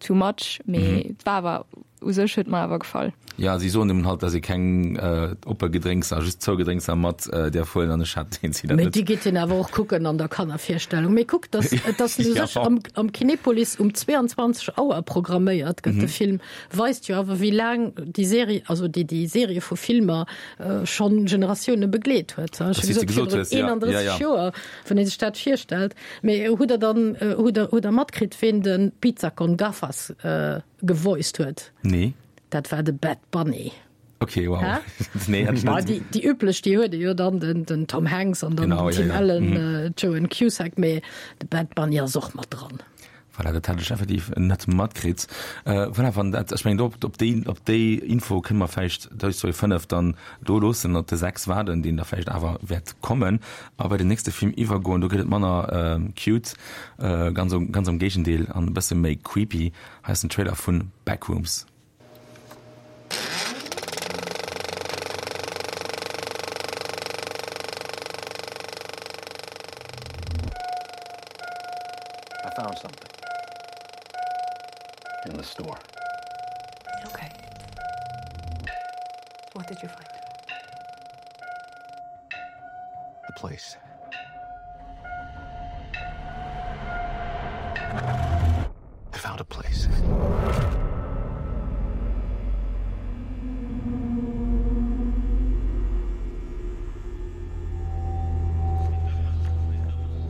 too much, mee et war awer, u sech huet mer awer gefall. Jo, si soen nëmmen halt, dass ee keng oppe Gedrénkser, just zou Gedrénkser mat däerf huelen an ech hat deen Zeen dat Mee net. déi gitt een awer och kucken an der Kannervirstellung. Mee kuck, dass et ass u sech am, am Kinepolis um 22 Auer programméiert gëtt de Film, weist jo awer wéi laang déi Serie, also déi, déi Serie vu Filmer schonn Generatioune begleet huet. Ech hu gesot, virun 31 Joer, wann ee sech dat virstellt. Mee hutt Der dann, hutt Der, hutt Der matkritt, ween de Pizza con Gafas gevoiced huet? Nee. Dat war de Bad Bunny. Okay, wow. Hä? Nee, hat ech net. Déi, déi üblech, déi huet ee jo dann, den, den Tom Hanks an dann den Tim Allen, Joan Cusack, mee de Bad Bunny ass och mat dran. Voilà, dat hat ech effektiv net matkritt. Voilà, wann dat, ech mengen, op, op déi, op déi Info kënne mer vläicht Toy Story 5 dann do loossen, op de 6 waarden, deen da vläicht awer wäert kommen, a bei den nächste Film iwwergoen. Do gëtt et manner cute, ganz am, ganz am Géigendeel, an e bësse méi creepy. Hei ass den Trailer vun Backrooms. I found something in the store. Okay. What did you find? The place. I found a place.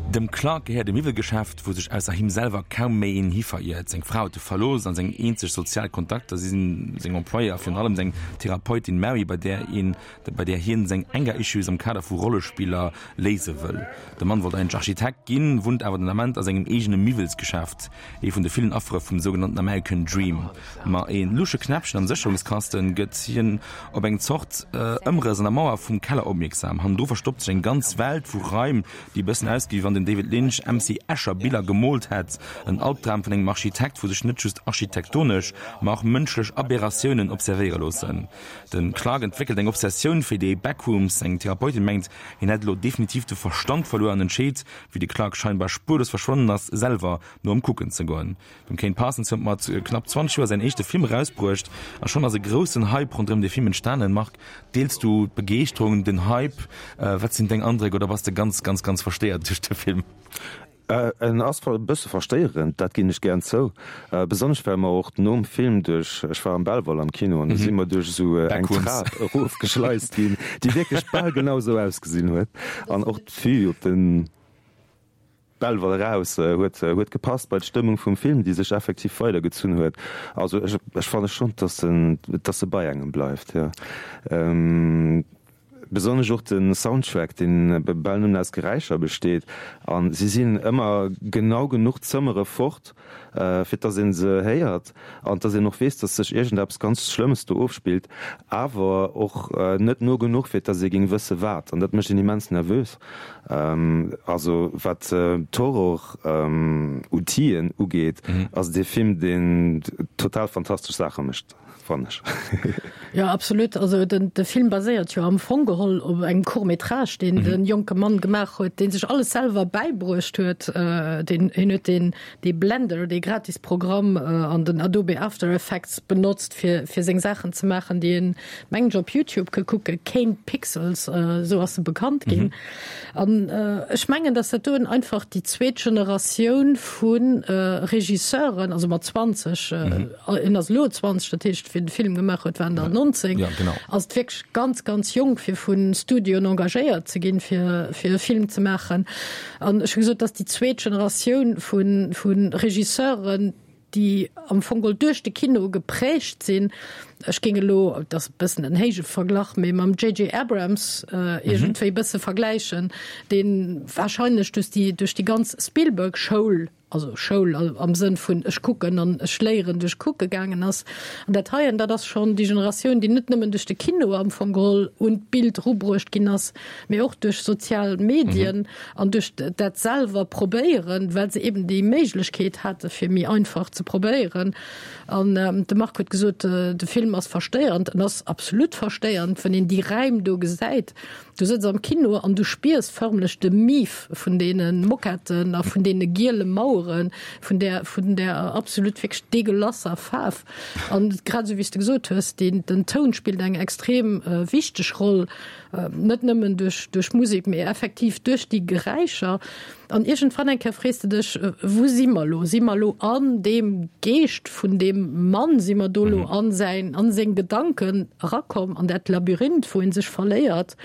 Dem Clark gehéiert e Miwwelgeschäft, wou sech ausser him selwer kaum méi een hi veriert. Seng Fra huet e verlooss an seng eenzeg sozial Kontakter si seng Employéë a virun allem seng Therapeutin Mary, bei där een bei där hien seng Anger Issues am Kader vu Rollespiller léise wëll. De Mann wollt eigentlech Architekt ginn, wunnt awer den Ament a sengem eegene Miwwelsgeschäft, ee vun de villen Affere vum sougenannten American Dream. Ma e lusche Knäppchen am Sécherungskasten gëtt hien op eng Zort Ëmrëss an der Mauer vum Keller opmierksam. Hannendru verstoppt sech eng ganz Welt vu Raim, déi e bëssen ausgesi wéi wann den David Lynch MC Escher Biller gemoolt hätt. En Albdram vun engem Architekt, wou sech net just architektonesch, ma och mënschlech Aberratiounen observéiere loossen. Den Clark entwéckelt eng Obsessioun fir déi Backrooms. Seng Therapeutin mengt, hien hätt elo definitiv de Verstand verluer an entscheet, wéi de Clark scheinbar spuerlos verschwonnen ass, selwer no ëm kucken ze goen. Dem Kane Parsons huet mat knapp 20 Joer säin éischte Film erausbruecht a schonn ass e groussen Hype ronderëm de Film entstanen. Marc, deels du d'Begeeschterung, den Hype? Wat sinn deng Andréck oder bass de ganz, ganz, ganz verstéiert duerch de Film? En ass e bësse verstéierend, dat ginn ech gären zou. Besonnesch well mer och nom Film duerch, ech war am Belval am Kino, an do si mer duerch esou eng Trap erofgeschleist ginn, déi wierklech bal genau esou ausgesinn huet. An och d'Vue op de Belval eraus huet huet gepasst bei d'Stëmmung vum Film, déi sech effektiv weidergezunn huet. Also ech ech fanne schonn, dass en dass e bei engem bleift, jo. Besonnesch och de Soundtrack, deen bal nëmmen aus Geräischer besteet, a si sinn ëmmer genau genuch Zëmmere fort, fir dass ee se héiert an dass een och weess, dass sech iergendeppes ganz Schlëmmes do ofspillt, awer och net no genuch, fir dass ee géing wësse wat. An dat mécht een immens nervös. Also wat d'Horror-Outiller ugeet, ass et ee Film, deen total fantastesch Saache mécht. Fannen ech. Jo, absolut. Also den, de Film baséiert jo am Fong geholl. geholl op engem Court métrage, deen de jonke Mann gemaach huet, dee sech alles selwer bäibruecht huet. Deen, hien huet deen, dee Blender, dee gratis Programm an den Adobe After Effects benotzt, fir, fir seng Saachen ze maachen, déi een, mengen ech, op YouTube ka kucken, Kane Pixels, esou ass e bekannt ginn. An ech mengen, datt dat doen einfach déi zweet Generatioun vu Regisseuren, also mat 20, en ass elo 20, dat heescht, wéi en de Film gemaach huet, war en der 19, ass et wierklech ganz, ganz jonk, fir vu Studioen engagéiert ze ginn, fir e Film ze maachen. An ech hu gesot, datt déi zweet Generatioun vu Regisseuren, déi am Fong geholl duerch de Kino geprägt sinn, ech géing elo, et ass e bëssen en héije Verglach, mee mam JJ. Abrams iergendwéi e bësse vergläichen, dee wahrscheinlech duerch déi, duerch déi ganz Spielberg-Schoul, also Schoul am Sënn vun ech kucken an ech léieren duerch kucke gaangen ass. An dat heien, dat ass schonn déi Generatioun, déi net nëmmen duerch de Kino am Fong geholl un d'Bild erubruecht ginn ass, mee och duerch sozial Medien an duerch dat selwer probéieren, well se eben déi Méiglechkeet hate fir méi einfach ze probéieren. An de Marc huet gesot, de Film ass verstéiernd. En ass absolut verstéiernd, wann een déi Räim do gesäit. Du sëtz am Kino an du spiers förmlech de Mief vun deene Moquetten a vun deene giele Maueren, vun där, vun där absolut wierklech degueulasser Faarf. An grad esou wéi s de gesot hues, deen, den Toun spillt eng extrem wichteg Roll. Net nëmmen duerch duerch Musek, mee effektiv duerch déi Geräischer. An iergendwann eng Kéier frees de dech, Wou si mer elo? Si mer elo an deem Geescht vun deem Mann? Si mer do elo an säin, an seng Gedanken erakomm, an dat Labyrinth, wou ee sech verléiert,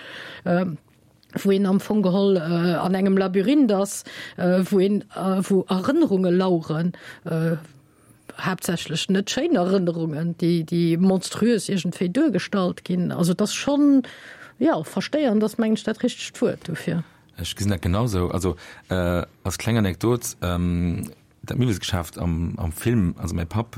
wou een am Fong geholl an engem Labyrinth ass, wou een, wou Erënnerunge laueren? Haaptsächlech net schéin Erënnerungen, déi, déi monströs iergendwéi duergestallt ginn. Also et ass schonn, jo, verstéiernd ass, mengen ech, dat richtegt Wuert dofir. Ech gesinn dat genausou. Also als kleng Anekdot, dat Miwwelsgeschäft am, am Film, also mäi Papp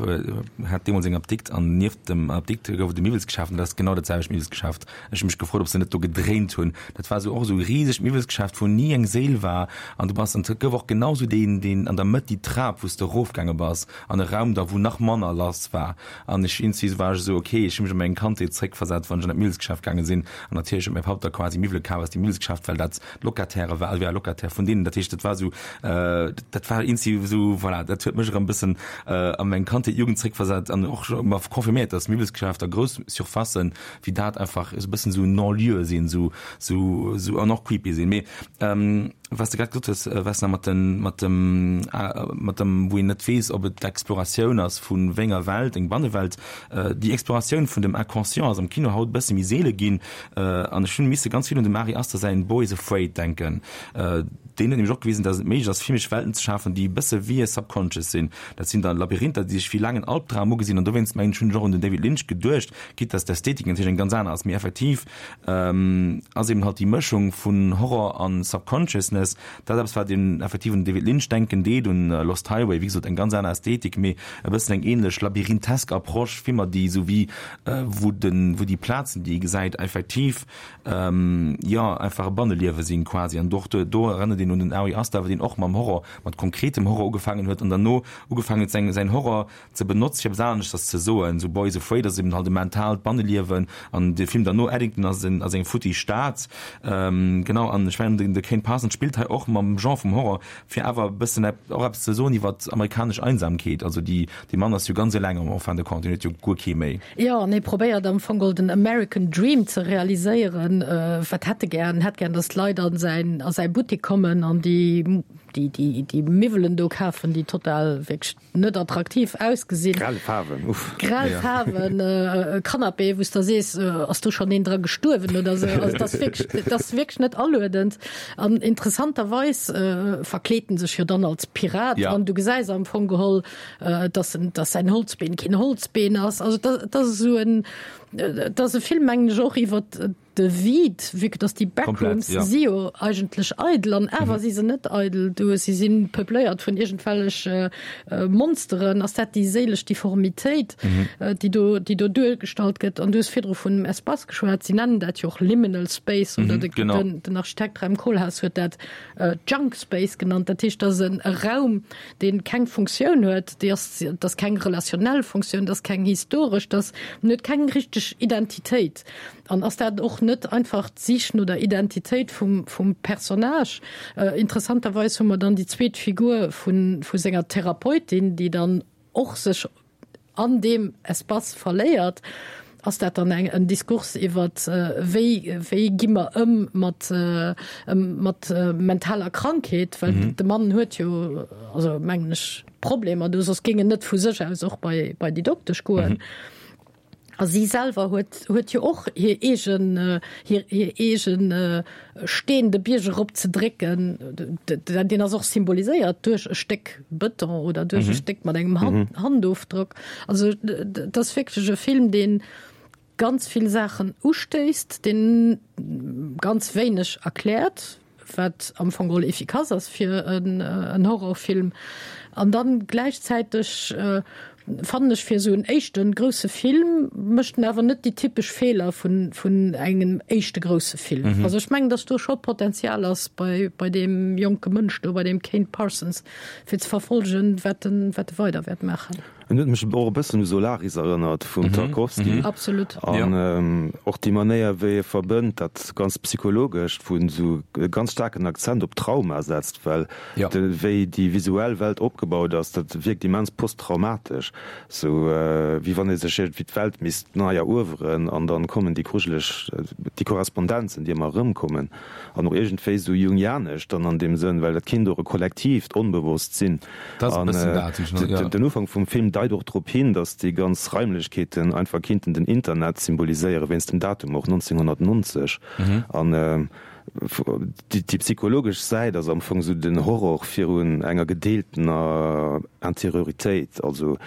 hat deemools eng Apdikt an nieft dem Apdikt gouf et e Miwwelsgeschäft an dat ass genau dat selwecht Miwwelsgeschäft. Ech hu mech gefrot, ob se net do gedréint hunn. Dat war esou och esou e risegt Miwwelsgeschäft, wou ni eng Séil war. An du bass, an et gouf och genau esou deen, deen an der Mëtt, déi Trap, wou s de erofgaange bass an e Raum da, wou nach manner lass war. An ech, iergendwéi war ech esou, okay, ech hu mech an meng Kandheet zréckversat, wann ech an dat Miwwelsgeschäft gaange sinn. An natierlech huet mäi Papp da quasi Miwwele kaf aus deem Miwwelsgeschäft, well dat Locataire war, also war Locataire vun deenen. Dat heescht, dat war esou, dat war iergendwéi esou, voilà, dat huet mech erëm e bëssen a meng Kandheet, Jugend zréckversat an och mer confirméiert, dass Miwwelsgeschäfter, grouss Surfacen, wéi dat einfach esou e bëssen esou Non-lieu sinn, esou, esou, esou an och creepy sinn. Mee wat s de grad gesot hues, Vesna, mat den, mat dem, mat dem, wou een net weess, ob et d'Exploratioun ass vu wéi enger Welt, eng Bannewelt, déi Exploratioun vun dem Inconscient ass am Kino haut e bësse méi seele ginn. An ech hunn misse ganz vill un dem Ari Aster säin Beau is Afraid denken. Deen huet nämlech och gewisen, datt et méiglech ass, filmesch Welten ze schafen, déi e bësse wéi e Subconscious sinn. Dat sinn dann Labyrinther, déi sech wéi laangen Albdram ugesinn. An dowéinst mengen ech, hunn ech och un den David Lynch geduecht, quitte dass d'Ästhetik natierlech eng ganz aner ass, mee effektiv ass eben halt déi Mëschung vun Horror an Subconsciousness dat eppes, wat een effektiv un David Lynch denken deet, un Lost Highway, wéi gesot eng ganz aner Ästhetik, mee e bëssen eng ähnlech labyrinthesk Approche, Filmer, déi esou wéi wou den, wou déi Plazen, déi ee gesäit, effektiv jo einfach e Banneliewe sinn quasi. An och do erënnert een un den Ari Aster, deen och mam Horror, mat konkretem Horror ugefaangen huet an derno ugefaangen huet säin, säin Horror ze benotzt fir eppes aneschters ze soen, sou Beau is Afraid ass eben halt e mentaalt Banneliewen an de Film derno Eddington ass en ass eng futti Stad genau an ech mengen den de Kane Parsons spillt hei och mam Genre vum Horror fir awer e bëssen och eppes ze soen iwwert amerikanesch Einsamkeet, also déi dee Mann ass jo ganz eleng en fin de compte, deen huet jo guer kee méi. Jo an hie probéiert am Fong geholl den American Dream ze realiséieren, wat hätt e gär? En hätt gär, datt d'Leit an säin a säi Buttek kommen an déi déi déi déi Miwwelen do kafen, déi total wierklech net attraktiv ausgesinn. Grell Faarwen, uff. Grell Faarwen, e Canapé, wou s der sees, ass do schonn een dra gestuerwen oder esou. Also dat ass wierklech, dat ass wierklech net aluedend. An interessanterweis verkleet en sech jo dann als Pirat an du gesäis am Fong geholl, dass en, dass säin Holzbeen keen Holzbeen ass. Also dat ass esou en, dat ass e Film, mengen ech, och iwwer De Vide, vue que dass déi Backrooms si jo eigentlech eidel an awer si se net eidel, du si si peupléiert vun iergendwellech Monsteren. Ass dat déi séilesch Deformitéit, déi do, déi do duergestallt gëtt? An du hues virdru vun Espace geschwat, si nennen dat jo och Liminal Space oder den, den Architekt Rem Koolhaas huet dat Junk Space genannt. Dat heescht, dat ass e Raum, dee keng Funktioun huet, déi ass, dat ass keng relationell Funktioun, dat ass keng historesch, dat ass, en huet keng richteg Identitéit. An ass dat och. net einfach d'Sich no der Identitéit vum, vum Personnage. Interessanterweis hu mer dann déi zweet Figur vun, vu senger Therapeutin, déi dann och sech an deem Espace verléiert. Ass dat dann eng, en Diskurs iwwer wéi, wéi gi mer ëm mat, mat mentaler Krankheet? Well de Mann huet jo, also mengen ech, Problemer do, soss géing en net vu sech aus och bei, bei déi Doktesch goen. A si selwer huet, huet jo och hir eegen, hir, hir eegen Steen de Bierg erop ze drécken. Deen ass och symboliséiert duerch e Stéck Bëton oder duerch e Stéck mat engem Hand, Handofdrock. Also et ass wierklech e Film, dee ganz vill Saachen ustéisst, deen ganz wéineg erkläert. wat am Fong geholl efficace ass fir en Horrorfilm. An dann gläichzäiteg fannen ech fir esou en éischte grousse Film mécht en awer net déi typesch Feeler vun vun engem éischte grousse Film. Mhm. Also ech mengen, datt do scho Potenzial ass bei bei deem jonke Mënsch do, bei deem Kane Parsons, fir ze verfolgen, wat en wat e weider wäert maachen. En huet mech och e bëssen u Solaris erënnert vum Tarkovsky. Absolut. An och déi Manéier, wéi e verbënnt dat ganz Psychologescht, wou en esou e ganz staarken Akzent op Trauma setzt, well wéi déi visuell Welt opgebaut ass, dat wierkt immens posttraumatesch, esou wéi wann ee sech iergendwéi d'Welt misst nei erueweren an dann kommen déi grujeleg, déi Korrespondenzen, déi ëmmer erëmkommen. An och iergendwéi esou jungianesch dann an deem Sënn, well dat kinnt och e kollektiivt Onbewosst sinn. An den Ufank vum Film deit och drop hin, datt déi ganz Raimlechkeeten einfach kinnten den Internet symboliséieren, wéinst dem Datum och, 1990. An déi psychologesch Säit ass am Fong esou den Horror virun enger gedeeltener Interioritéit, also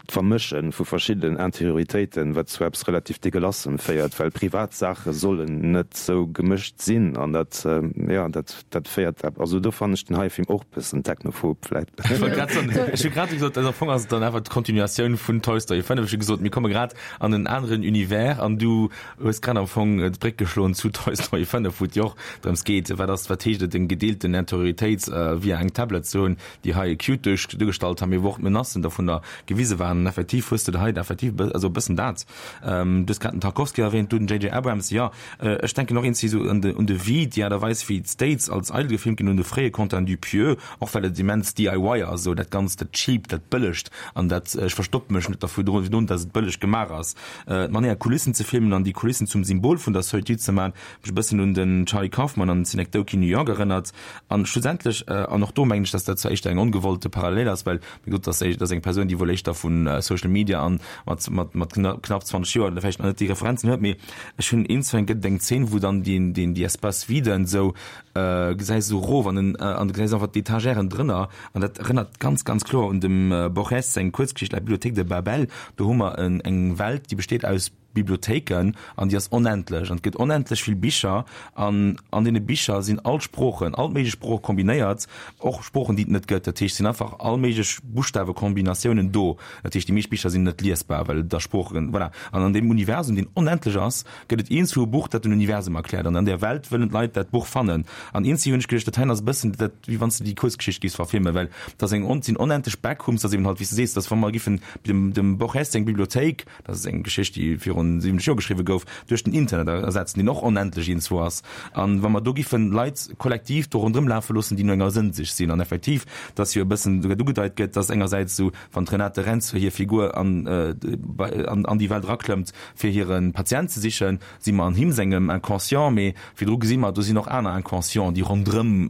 D'Vermësche vu verschiddenen Interioritéiten, wat zu eppes relativ Degueulassem féiert, well privat Saache sollen net sou gemëscht sinn an dat, jo, dat, dat féiert, also do fannen ech den heie Film och bëssen technophob vläit. Ech wollt grad soen, ech hu grad gesot, also am Fong ass et dann awer d'Continuatioun vun Toy Story 5. Ech hu gesot, mir komme grad an en aneren Univers an du hues grad am Fong d'Bréck geschloen zu Toy Story 5, wou et jo och drëms geet, wat ass, wat heescht et, eng gedeelten Interioritéit via eng Tablet ze hunn. déi hei cute duerch duergestallt han, mee wou och d'Menacen dovunner gewise waren. An effektiv hues de hei effektiv e also e bëssen dat. Du hues grad den Tarkovsky erwähnt, du den JJ Abrams, jo, ech denken och eenzi sou un de un de Vide, déi Aart a Weis wéi d'States als eidel gefilmt ginn, un de fréie Quentin Dupieux, och well et immens DIY ass, esou dat Ganzt, dat Cheap, dat Bëllegt an dat, ech verstoppe mech net dervu drun, dass et bëlleg gemaach ass. D'Manéier Kulissen ze filmen an déi Kulissen zum Symbol vun der Solitude ze man, mech e bëssen un den Charlie Kaufman an Synecdoche, New York erënnert. An schlussendlech, an och do mengen ech, dass dat zwar éischter eng ongewollte Parallel ass, well, wéi gesot, dass dass eng Persoun, déi wuel éischter vu Social Media an mat, mat, mat knapp 20 Joer vläicht nach net déi Referenzen huet, mee ech hunn een, zweng gëtt et eng Zeen, wou dann deen, deen, déi Espace vide esou gesäis esou erof an den, an du gesäis einfach d'Etagèren drënner an dat erënnert ganz, ganz kloer un dem Borges seng Kuerzgeschicht La bibliothèque de Babel. Do hu mer en, eng Welt, déi besteet aus Bibliothéiken an déi ass onendlech an et gëtt onendlech vill Bicher an an deene Bicher sinn all d'Sproochen, all méiglech Sprooche kombinéiert, och Sproochen déi et net gëtt. Dat heescht, et sinn einfach all méiglech Buschtawekombinatiounen do. Dat heescht, déi meescht Bicher sinn net liesbar, well et a Sproochen, voilà. An an deem Universum, deen onendlech ass, gëtt et eenzu e Buch, dat den Universum erkläert an an där Welt wëllen d'Leit dat Buch fannen. An eenzi hunn ech geduecht, dat heien ass e bëssen dat, wéi wann s de déi Kuerzgeschicht giffs verfilmen, well et ass eng, et sinn onendlech Backrooms, dat ass eben halt, wéi s de sees, dass wa mer giffen dem dem Borges seng Bibliothéik, dat ass eng Geschicht, déi virun 70 Joer geschriwwe gouf, duerch den Internet ersetzen, deen och onendlech iergendzwou ass. An wa mer do giffen Leit kollektiv do ronderëm lafe loossen, déi no enger Sënnsich sinn, an effektiv, dass jo e bëssen souguer ugedeit gëtt, dass engersäits esou, wann d'Renate Reinsve hir Figur an, an déi Welt eraklëmmt, fir hire Patient ze sichen, si mer an him sengem Inconscient, mee virdru gesi mer, do sinn och aner Inconscienten, déi ronderëm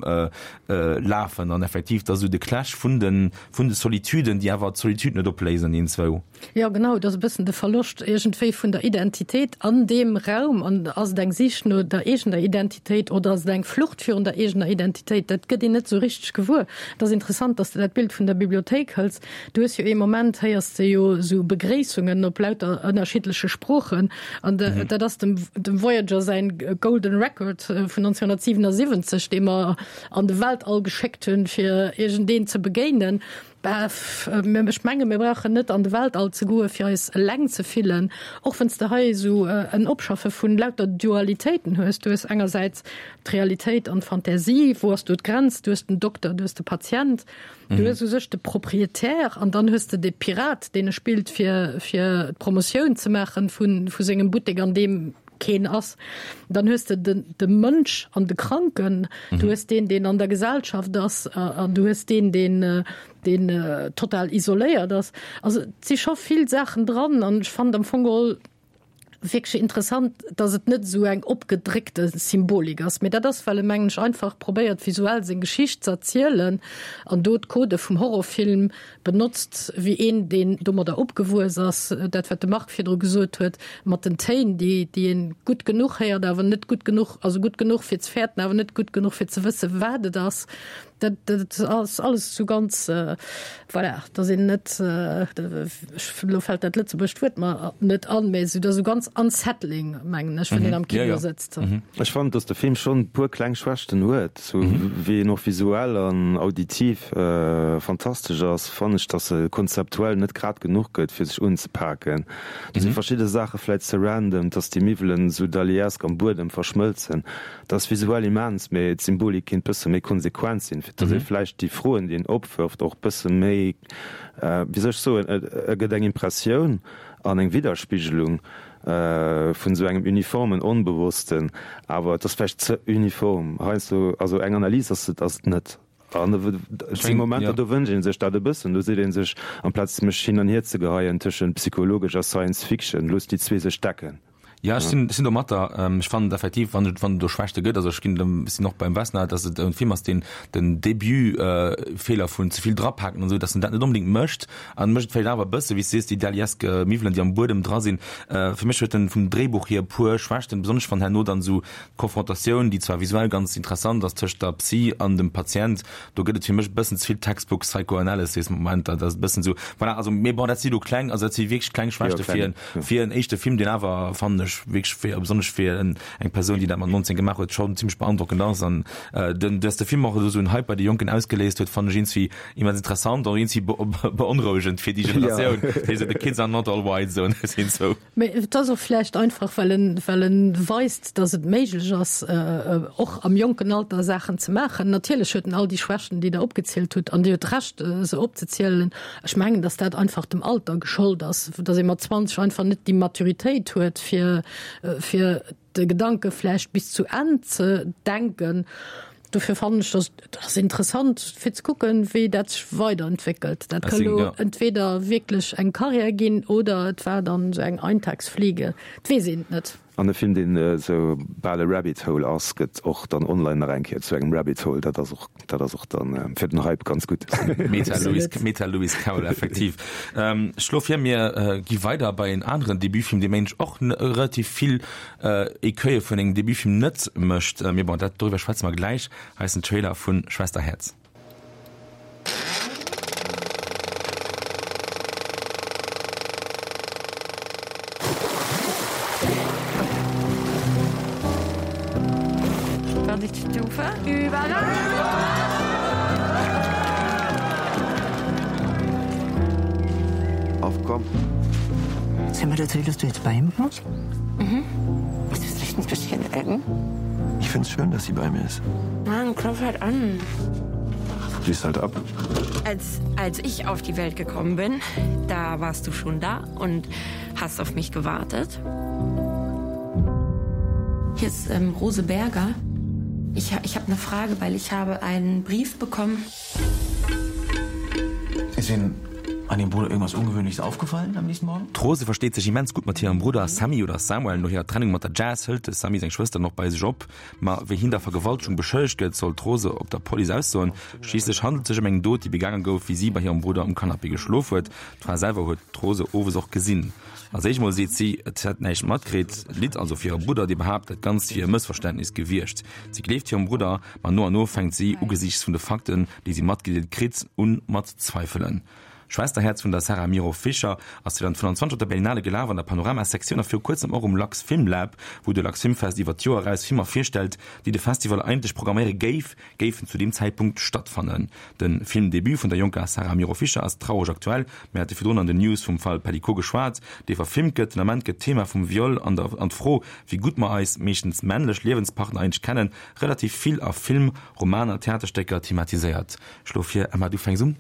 lafen. An effektiv, dass esou de Clash vun de, vun de Solituden, déi awer d'Solitude net opléisen, iergendzwou. Jo, genau, et ass e bëssen de Verloscht iergendwéi vun der Identitéit an deem Raum. An ass et eng Sich no der eegener Identitéit oder ass et eng Flucht virun der eegener Identitéit? Dat gëtt een net esou richteg gewuer. Et ass interessant, dass de dat Bild vun der Bibliothéik hëls. Du hues jo ee Moment, héiers de jo esou Begréissungen op lauter ënnerschiddleche Sproochen. An dat ass dem dem Voyager säin Golden Record vun 1977, dee mer an de Weltall geschéckt hunn, fir iergendeen ze begéinen. Bah, ech menge mir brauchen net an de Weltall ze goe fir eis eleng ze fillen, och wann s de hei esou en Opschaffe vun lauter Dualitéiten hues. Du hues engersäits d'Realitéit an d'Fantasie, wou ass do d'Grenz? Du hues den Dokter, du hues de Patient, du hues u sech de Proprietär an dann hues de de Pirat, deen e spillt fir fir d'Promotioun ze maachen vu vu sengem Buttek an deem. keen ass. Dann hues de den, de Mënsch an de Kranken, du hues deen, deen an der Gesellschaft ass, an du hues deen, deen, deen total isoléiert ass. Also et si scho vill Saachen dran an ech fand am Fong geholl wierklech interessant, datt et net esou eng opgedréckte Symbolik ass. Mee dat ass, well e mengen ech einfach probéiert visuell seng Geschicht ze erzielen an do d'Codë vum Horrorfilm benotzt wéi een, deen domadder opgewuess ass. Dat wat de Marc virdru gesot huet mat den Téin, déi déi een gutt genuch héiert, awer net gutt genuch, also gutt genuch fir ze fäerten, awer net gutt genuch fir ze wësse wat et ass. Dat, dat ass alles esou ganz, voilà, dass een net, elo fält dat lëtzebuergescht Wuert mer net an, mä esou, dat ass esou ganz unsettling, mengen ech, wann een am Kino sëtzt. Ech fannen, dass de Film schonn e puer kleng Schwächten huet, esou wéi en och visuell an auditiv fantastesch ass, fannen ech, dass e konzeptuell net grad genuch gëtt, fir sech unzepaken. Do si verschidde Saache vläit ze random, dass déi Miwwelen esou daliesque am Buedem verschmëlzen. Dat ass visuell immens, mee d'Symbolik kinnt bësse méi konsequent sinn, fir dass ee vläicht déi Froen, déi en opwërft, och bësse méi, wéi soll ech soen, e gëtt eng Impressioun an eng Widderspigelung vun esou engem uniformen Onbewossten, awer et ass vläicht ze uniform heiansdo. Also eng Analys ass et ass et net. An et si Momenter, do wënscht ee sech dat e bëssen, do seet ee sech, amplaz mech hin an hier ze geheien tëschent psychologesch a Science Fiction, looss déi zwee sech decken. Ja, ech sinn, ech sinn do mat der. Ech fannen effektiv, wann et, wann et do Schwächte gëtt, also ech ginn dem, sinn och beim Vesna, dass et e Film ass, deen den Debut-Feeler vun ze vill drapaken an esou, dass en dat net onbedéngt mécht an mécht et vläicht awer e bësse, wéi s de sees, déi Daliesk Miwwelen, déi am Buedem dra sinn. Fir mech huet en vum Dréibuch hier e puer Schwächten, besonnesch wann herno dann esou d'Konfrontatioun, déi zwar visuell ganz interessant ass, tëscht der Psy an dem Patient, do gëtt et fir mech e bëssen ze vill Textbook Psychoanalysis Momenter, dat ass e bëssen esou, voilà, also, mee bon, dat si lo kleng, also dat si wierklech kleng Schwächte fir en Fir en éischte Film, deen awer, fannen ech, wierklech fir, besonnesch fir en, eng Persoun, déi dat mat 19 gemaach huet, schonn zimmlech beandrockend ass. An den, dass de Film och elo sou en Hype bei de Jonken ausgeléist huet, fannen ech iergendwéi immens interessant, och iergendwéi beonrouegend fir déi Generatioun, déi sou the kids are not all white sou sinn sou. Mee et ass och vläicht einfach, well en, well en weist, dass et méiglech ass, och am jonken Alter Saachen ze maachen. Natierlech huet en all déi Schwächten, déi Der opgezielt hutt, an Dir hutt Recht, se opzezielen. Ech mengen, dass dat einfach dem Alter geschollt ass, dass ee mat 20 einfach net déi Maturitéit huet, fir, fir de Gedanke vläicht bis zu Enn ze denken. Dofir fannen ech, dass et ass interessant, fir ze kucken, wéi dat sech weiderentwéckelt. Dat ka lo entweder wierklech eng Karriär ginn oder et war dann esou eng Eintagsfliege. Et weess een et net. An e Film, deen esou bal e Rabbit Hole ass, gëtt och dann online nach eng Kéier zu engem Rabbit Hole. Dat ass och, dat ass och dann fir den Hype ganz gutt. Meta Lewis, Meta Lewis Carroll, effektiv. Ech schloe vir, mir gi weider bei en aneren Debutfilm, dee mengen ech och relativ vill Ecueille vun engem Debutfilm net mécht. Mee bon, dat, doriwwer schwätze mer gläich. Hei ass den Trailer vu Schwesterherz. Aufkommen. Sollen wir erzählen, dass du jetzt bei ihm wohnst? Mhm. Ist das nicht ein bisschen eng? Ich find's schön, dass sie bei mir ist. Mann, klopf halt an. Schließ halt ab. Als, als ich auf die Welt gekommen bin, da warst du schon da und hast auf mich gewartet. Hier ist ähm, Rose Berger. Ich, ich habe eine Frage, weil ich habe einen Brief bekommen. Ist Ihnen an dem Bruder irgendwas Ungewöhnliches aufgefallen am nächsten Morgen? D'Rose versteet sech immens gutt mat hirem Brudder Sammy oder Samuel. No hirer Trennung mat der Jazz hëlt de Sammy seng Schwëster dann och bei sech op. Ma wéi hien der Vergewaltegung beschëllegt gëtt, soll d'Rose op der Police aussoen. Schliisslech handelt et sech ëm eng Dot, déi begaange gouf, wéi si bei hirem Brudder um Canapé geschlof huet. D'Fra selwer huet d'Rose owes och gesinn. Als éischt mol seet si, et hätt näischt matkritt, litt also fir hire Brudder, dee behaapt, dat Ganzt wier e Mëssverständnis gewiescht. Si gleeft hirem Brudder, ma no an no fänkt si, ugesiichts vun de Fakten, déi si matgedeelt kritt, un mat zweifelen. Schwesterherz vun der Sarah Miro Fischer ass 2025 op der Berlinale gelaf an der Panorama-Sektioun a viru kuerzem och um Lux Film Lab, wou de Lux Film Fest iwwer d'Joer eraus Filmer virstellt, déi de Festival eigentlech programméiere géif, géifen zu deem Zäitpunkt stattfannen. De Filmdebut vun der jonker Sarah Miro Fischer ass traureg aktuell. Mir hate virdrun an den News vum Fall Pelicot geschwat, dee verfilmt gëtt. Den Ament gëtt d'Thema vum Viol an der an d'Fro, wéi gutt mer eis, meeschtens männlech, Liewenspartner eigentlech kennen, relativ vill a Film, Romaner, Theaterstécker thematiséiert. Ech schloe vir, Emma, du fänks un.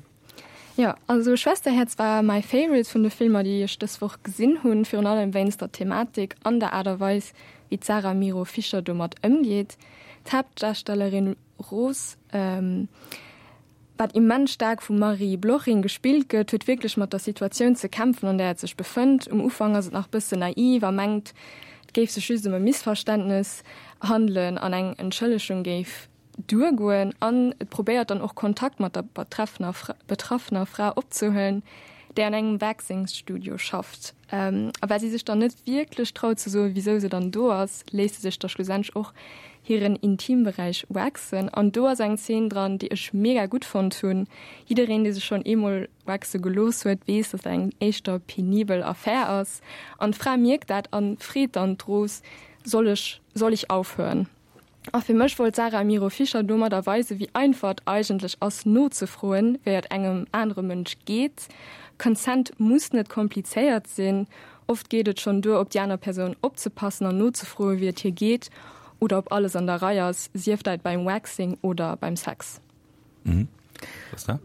Jo, also Schwesterherz war my favorite vun de Filmer déi ech dës Woch gesinn hunn, virun allem wéinst der Thematik an der Aart a Weis wéi d'Sarah Miro Fischer domat ëmgeet. D'Haaptdarstellerin Rose, wat immens staark vum Marie Bloching gespillt gëtt, huet wierklech mat der Situatioun ze kämpfen an där et sech befënnt. Um Ufank ass et nach bëssen naiv a mengt et géif sech just ëm e Missverständnes handelen an eng Entschëllegung géif duergoen an et probéiert dann och Kontakt mat der betreffener betraffener Fra opzehuelen, déi an engem Waxing-Studio schafft. A well si sech dann net wierklech traut ze soen, wisou se dann do ass, léisst se sech da schlussendlech och hiren Intimberäich waxen. An do ass eng Zeen dran, déi ech mega gutt fonnt hunn. Jiddereen, dee sech schonn eemol waxe gelooss huet, weess, dass dat eng éischter penibel Affär ass. An d'Fra mierkt dat an freet dann d'Rose, Soll ech, soll ich aufhören? A fir mech wollt d'Sarah Miro Fischer domadder weisen, wéi einfach et eigentlech ass, nozefroen, wéi et engem anere Mënsch geet. Consent muss net komplizéiert sinn. Oft geet et schonn duer, op déi aner Persoun opzepassen an nozefroen, wéi et hir geet oder ob alles an der Rei ass, sief dat beim Waxing oder beim Sex. Mhm.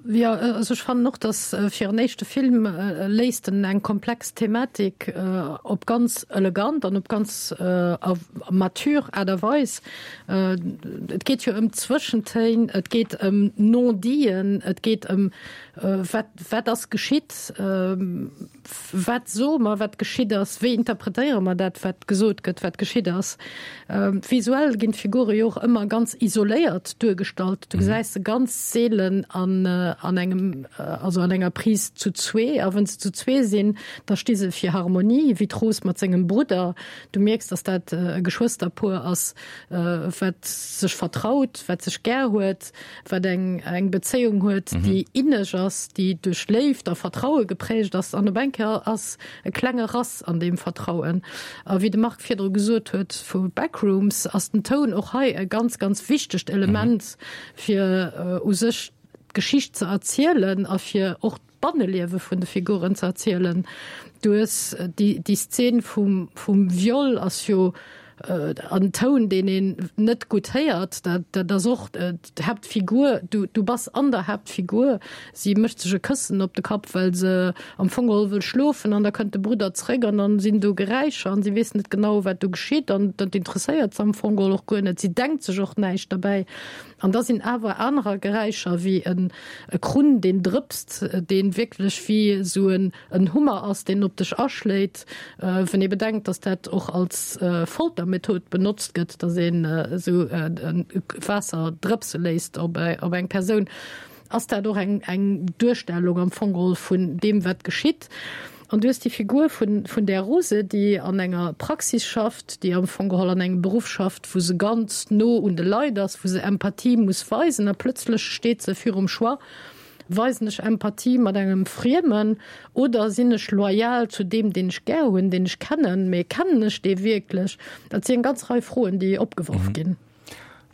Jo, also ech fannen och, datt fir en éischte Film léisst en eng komplex Thematik op ganz elegant an op ganz mature Aart a Weis. Et geet jo ëm Zwëschentéin, et geet ëm Non-diten, et geet ëm wat, wat ass geschitt, Wat soe mer, wat geschitt ass? Wéi interpretéiere mer dat, wat gesot gëtt, wat geschitt ass? Visuell ginn d'Figure jo och ëmmer ganz isoléiert duergestallt. Du gesäis se ganz seelen an an engem, also an enger Prise zu zwee. A wann se zu zwee sinn, da sti se fir Harmonie, wéi d'Rose mat sengem Brudder. Du mierks, datt dat e Geschwësterpuer ass, wat sech vertraut, wat sech gär huet. wat eng eng Bezéiung huet, mhm. déi inneg ass, déi duerch Léift a Vertraue geprägt ass an op eng Kéier ass e klenge Rass an deem Vertrauen. A wéi de Marc virdru gesot huet vu Backrooms ass den Toun och hei e ganz ganz wichtegt Element mhm. fir uh, u sech d'Geschicht ze erzielen a fir och d'Banneliewe vun de Figuren ze erzielen. Du hues déi, déi Szen vum, vum Viol ass jo en Toun, deen een net gutt héiert. Dat, dat ass och d'Haaptfigur, du, du bass an der Haaptfigur. Si mécht sech e Këssen op de Kapp, well se am Fong geholl wëll schlofen an da kënnt de Brudder zréck an dann sinn do Geräischer an si weess net genau, wat do geschitt an dat interesséiert se am Fong geholl och guer net. Si denkt sech och näischt derbäi. An da sinn awer anerer Geräischer wéi en e Krunn, deen drëpst, dee wierklech wéi esou en en Hummer ass, deen op dech aschléit. Wann ee bedenkt, datt dat och als Foltermethod benotzt gëtt, datt een esou Waasser drëpse léisst op op eng Persoun, ass dat och eng eng Duerstellung am Fong geholl vun deem, wat geschitt. An du hues déi Figur vun, vun där Rose, déi an enger Praxis schafft, déi am Fong geholl an engem Beruff schafft, wou se ganz no un de Leit ass, wou se Empathie muss weisen. A plëtzlech steet se virum Choix, Weisen ech Empathie mat engem Friemen oder sinn ech loyal zu deem, deen ech gär hunn, deen ech kennen? Mee kennen ech dee wierklech? Dat si eng ganz Rei Froen, déi opgeworf ginn.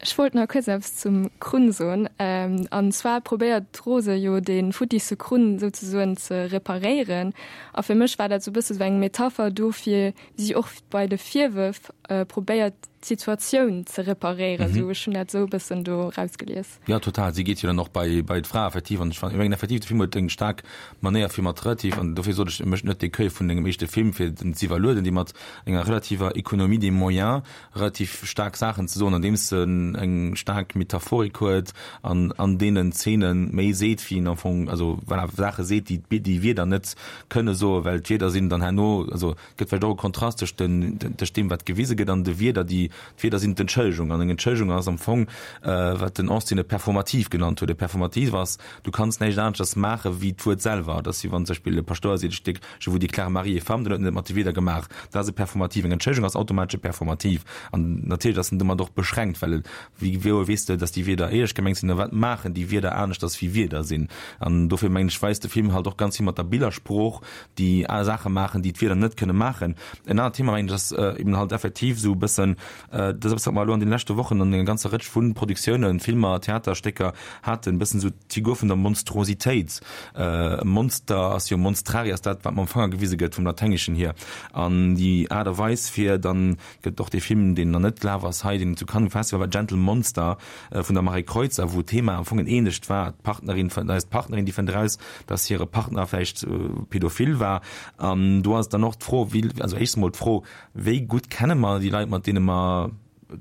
Ech wollt nach kuerz eppes zum Krunn soen. An zwar probéiert d'Rose jo dee futtisse Krunn souzesoen ze reparéieren. A fir mech war dat sou e bësse sou eng Metapher dofir, wéi si och bei de Virwërf probéiert d'Situatioun ze reparéieren. Sou, ech hunn dat sou e bëssen do rausgelies. Jo, total. Si geet jo dann och bei bei d'Fra effektiv. An ech fannen, ech mengen effektiv, de Film huet eng staark Manéier fir mat relativ, an dofir sot ech, e mécht net d'Ecueil vun engem éischte Film, fir en ze iwwerlueden, déi mat enger relativer Économie des moyens relativ staark Saachen ze soen, andeems en eng staark Metaphorik huet an an deenen Zeene méi seet, wéi en am Fong, also voilà, Saache seet, déi déi Wierder net kënne soen, well d'Wierder sinn dann herno, also et gëtt vläicht och e Kontrast tëscht den, tëscht deem, wat gewise gëtt an de Wierder, déi, d'Wierder sinn d'Entschëllegung an eng Entschëllegung ass am Fong, wat den Austin e Performativ genannt huet. E Performativ ass, du kanns näischt aneschters maache wéi d'Wuert selwer. Dat ass wéi wann zum Beispill e Paschtouer seet, ech déck, Je vous déclare mari et femme, dann huet en et mat de Wierder gemaach. Dat ass e Performativ. Eng Entschëllegung ass automatesch e Performativ. An natierlech ass en domat och beschränkt, well wéi wouer weess de, datt déi Wierder éierlech gemengt sinn? A wat maachen déi Wierder aneschters wéi Wierder sinn? An dofir mengen ech, weist de Film halt och ganz vill mat der Billersprooch, déi Saache maachen, déi d'Wierder net kënne maachen. En anert Thema, mengen ech, ass eben halt effektiv esou e bëssen. Dat ass eppes, wat mer elo an deene leschte Wochen an enger ganzer Rëtsch vu Produktiounen, Filmer, Theaterstécker haten, e bëssen esou d'Figur vun der Monstrositéit. E Monster ass jo, monstrari ass dat, wat mam Fanger gewise gëtt vum Latengeschen hier. An déi Aart a Weis fir dann, gëtt och dee Film, deen nach net gelaf ass hei, deen zu Cannes um Festival war, Gentle Monster vun der Marie Kreutzer, wou d'Thema am Fong en ähnlecht war, d'Partnerin, da ass d'Partnerin, déi fënnt eraus, dass hire Partner vläicht pädophil war. An do ass dann och d'Fro, wéi, also éischtens emol d'Fro, Wéi gutt kenne mer déi Leit, mat deene mer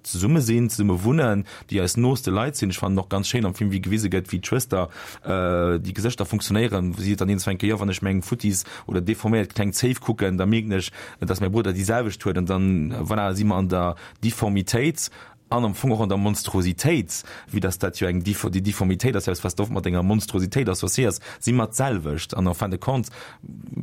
zesumme sinn, zesumme wunnen, déi eis nooste Leit sinn? Ech fannen och ganz schéin am Film, wéi gewise gëtt, wéi d'Schwëster, déi Gesëschter funktionéieren. Si seet dann iergendwann eng Kéier, Jo, wann ech meng futtis oder deforméiert kleng Zéif kucken, da mierken ech, dass mäi Brudder déi selwecht huet. An dann, voilà, si mer an der Difformitéit. An am Fong och an der Monstrositéit, vue dass dat jo eng, déi Difformitéit ass jo eppes, wat s de oft mat enger Monstrositéit associéiers, si mer d'selwecht. An en fin de compte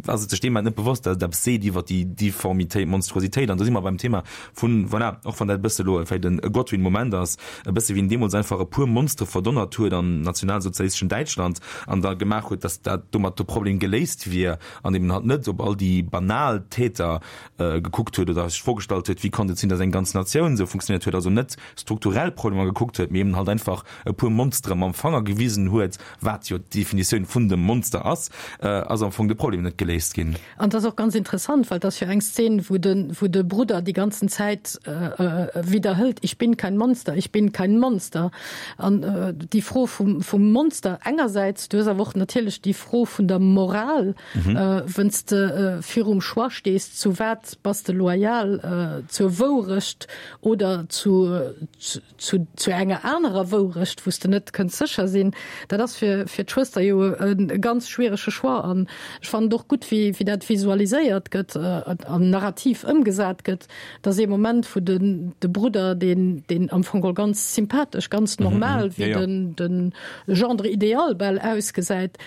ass et sech deem Moment net bewosst, dass et eppes seet iwwer déi Difformitéit, Monstrositéit. An do si mer beim Thema vun, voilà, och wann dat e bësse elo vläicht e Godwin-Moment ass, e bësse wéi en deemools einfach e puer Monstere verdonnert huet am nationalsozialisteschen Däitschland an da gemaach huet, dass dat domat de Problem geléist wier, an eben halt net op all déi banal Täter gekuckt huet oder sech d'Fro gestallt huet, wéi konnt et sinn, datt eng ganz Natioun esou funktionéiert huet, also net strukturell Problemer gekuckt huet, mee eben halt einfach e puer Monstere mam Fanger gewisen huet, wat jo d'Definitioun vun dem Monster ass, ass am Fong de Problem net geléist ginn. An et ass och ganz interessant, well et ass jo eng Szen, wou de, wou de Brudder déi ganzen Zäit widderhëlt, Ich bin kein Monster, ich bin kein Monster. An déi Fro vum, vum Monster engersäits, du hues awer och natierlech déi Fro vun der Moral, Wënn s de virum Choix stees, zu wat bass de loyal, zur Wourecht oder zu zu enger anerer Wourecht, wou s de net kënns sécher sinn, dat ass fir fir d'Schwëster jo e ganz schwierege Choix. An ech fannen et och gutt, wéi wéi dat visualiséiert gëtt an narrativ ëmgesat gëtt, dass ee Moment, wou den de Brudder, deen deen am Fong geholl ganz sympathesch, ganz normal, wéi den den Gendre idéal bal ausgesäit,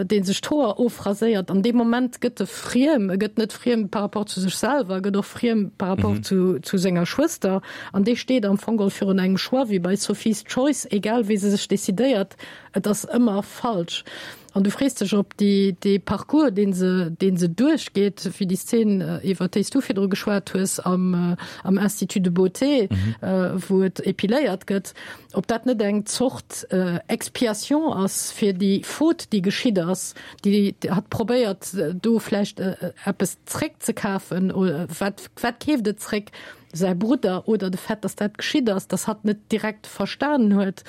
dee sech d'Hoer ofraséiert, an deem Moment gëtt e friem. E gëtt net friem par rapport zu sech selwer, e gëtt och friem par rapport zu, zu senger Schwëster. An dee steet am Fong geholl virun engem Choix, wéi bei Sophie's Choice, egal wéi se sech decidéiert, et ass ëmmer falsch. An du frees dech, ob déi, dee Parcours, dee se, dee se duerchgeet, wéi déi Szen, iwwer déi s du virdru geschwat hues am, am Institut de beauté, wou et épiléiert gëtt, Ob dat net eng Zort Expiation ass fir déi Faute, déi geschitt ass, déi hatt probéiert do vläicht eppes zréckzekafen. Wat, wat keeft et zréck? Säi Brudder oder de Fait, datt dat geschitt ass, datt hatt net direkt verstanen huet.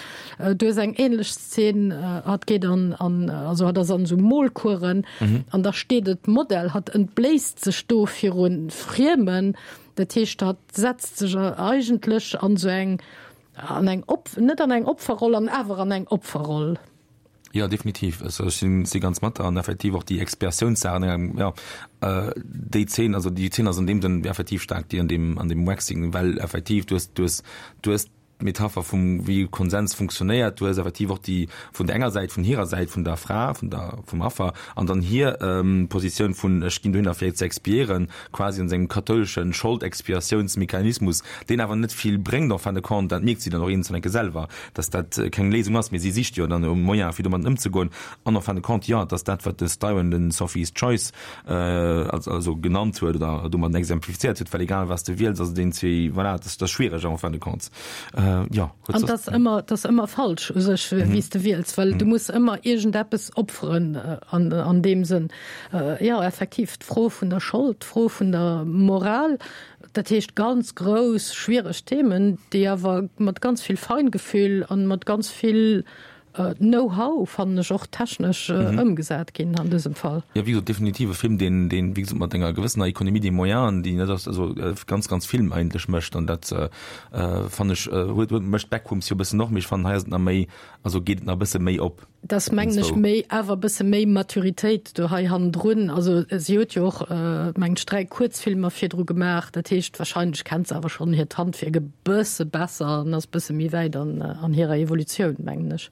Du hues eng änlech Szen, hatt geet an, an, also hatt ass an esou Molkueren an da steet et Modell, hatt entbléisst sech do viru Friemen. Dat heescht, hatt setzt sech eigentlech an esou eng, An eng Op-, net an eng Opferroll an awer an eng Opferroll. Jo, definitiv. Also ech sinn, si ganz mat der an effektiv och déi Expiatiounssaachen, eng, jo, déi Zeen, also déi Zeen ass an deem Sënn effektiv staark, déi an deem, an deem Waxing, well effektiv du hues, du hues, du hues d'Metapher vum wéi Konsens funktionéiert, du hues effektiv och déi vun der enger Säit, vun hirer Säit, vun der Fra, vun der, vum Affer an dann hir Positioun vun ech ginn dohinner fir ze expiéieren, quasi an sengem kathoulesche Scholdexpiatiounsmechanismus, deen awer net vill bréngt en fin de compte, dat mierkt si dann och iergendwann enke selwer, dass dat keng Léisung ass, mee si sicht jo dann e Moyen fir domat ëmzegoen an en fin de compte, jo, et ass dat wat de Styron de Sophie's Choice also genannt huet oder domat exemplifizéiert huet, well egal wat s de wiels, ass et een zwee, voilà, et ass schwiereg en fin de compte, jo. An et ass ëmmer, et ass ëmmer falsch u sech, wéi s de wiels, well du muss ëmmer iergendeppes opferen an deem Sënn. Jo, effektiv, d'Fro vun der Schold, d'Fro vun der Moral, dat heescht ganz grouss, schwiereg Themen, déi awer mat ganz vill Feingefühl an mat ganz vill Know-how, fannen ech, och technesch ëmgesat ginn an dësem Fall. Jo, wéi gesot, definitiv e Film, deen, deen, wéi gesot, mat enger gewëssener Économie des moyens, déi net ass, also ganz, ganz vill eigentlech mécht. An dat fannen ech, huet, huet, mécht Backrooms jo e bëssen och, mee ech fannen, hei ass et nach méi, also geet et nach e bësse méi op. Et ass, mengen ech, méi, awer e bësse méi Maturitéit do hei hannendrun. Also si huet jo och, mengen ech, 3 Kuerzfilmer virdru gemaach. Dat heescht, wahrscheinlech kennt se awer schonn hiert Handwierk e bësse besser an ass e bësse méi wäit an hirer Evolutioun, mengen ech.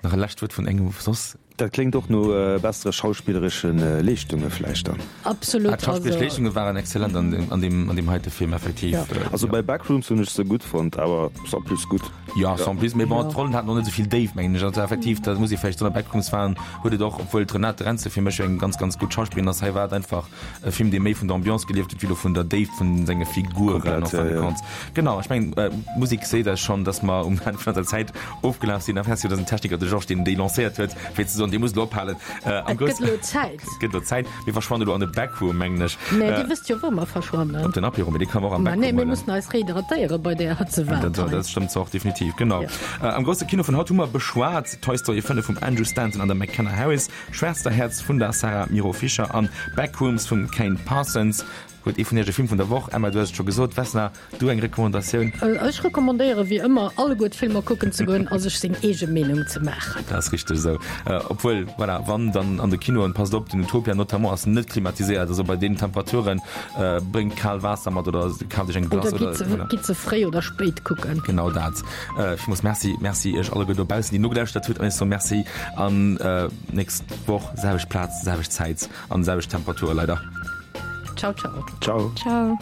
Nach e lescht Wuert vun engem soss? Dat kléngt och no bessere schauspilleresche Leeschtunge vläicht dann. Absolut. Ah, d'schauspilleresch Leeschtunge waren exzellent an deem, an deem, an deem heite Film, effektiv. Ja. Also bei Backrooms hunn ech se gutt fonnt, awer sans plus gutt. Ja, sans plus, mee bon, d'Rollen haten och net esou vill Déift, mengen ech. Also effektiv, dat muss ee vläicht soen, a Backrooms waren, huet et och, obwuel d'Renate Renze fir mech eng ganz, ganz gutt Schauspillerin ass, hei war et einfach e Film, dee méi vun der Ambiance gelieft huet, wéi elo vun der Déift vun senge Figuren, Komplett, en fin ja, de ja. compte. Genau, ech mengen, d'Musek seet eis schonn, dass mer um Enn vun eiser Zäit Ofgelaf sinn. A merci un eisen Techniker, de Georges, deen déi lancéiert huet, fir ze soen, Dir musst elo ophalen. Et gëtt elo Zäit. Et gëtt elo Zäit. Mir verschwannen elo an de Backroom, mengen ech. Mä Dir wësst jo, wou mer verschwannen. Op den Apéro, mee dee kann mer och am Mä Backroom nee, mir huelen. mussen eis rehydratéiere bei där Hëtzewaart Dat hei. dat stëmmt zwar och definitiv, genau. Ja. Am grousse Kino vun haut hu mer beschwat Toy Story 5 vum Andrew Stanton an der McKenna Harris, Schwesterherz vun der Sarah Miro Fischer an Backrooms vum Kane Parsons. Huet ee vun iech e Film vun der Woch? Emma, du hues et scho gesot. Vesna, du eng Recommandatioun? Ech recommandéiere wéi ëmmer, alleguer d'Filmer kucken ze goen a sech seng eege Meenung ze maachen. Dat ass richteg esou. Obwuel, voilà, wann dann an de Kinoen, passt op, den Utopia notamment ass net klimatiséiert, also bei deenen Temperaturen, bréngt kal Waasser mat oder kaaft iech eng Glace oder. Oder gitt se fréi oder spéit kucken. Genau dat. Villmools Merci. Merci iech alleguer dobaussen, déi nogelauschtert hutt. An ech soe Merci an nächst Woch, selwecht Plaz, selwecht Zäit. An selwecht Temperature leider. Ciao ciao. Ciao. Ciao.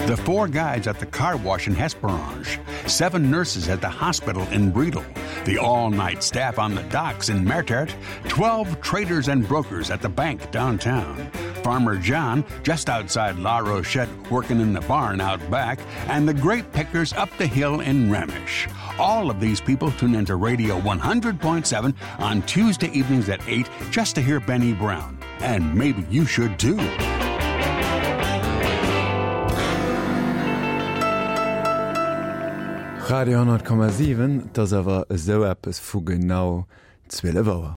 The four guides at the car wash in Hesperange, seven nurses at the hospital in Bredal, the all-night staff on the docks in Mertert, 12 traders and brokers at the bank downtown, Farmer John just outside La Rochette working in the barn out back, and the grape pickers up the hill in Remish. All of these people tune into Radio 100.7 on Tuesday evenings at 8 just to hear Benny Brown. And maybe you should too. Radio 10,7, 't ass awer esou eppes vu genau 12 Auer.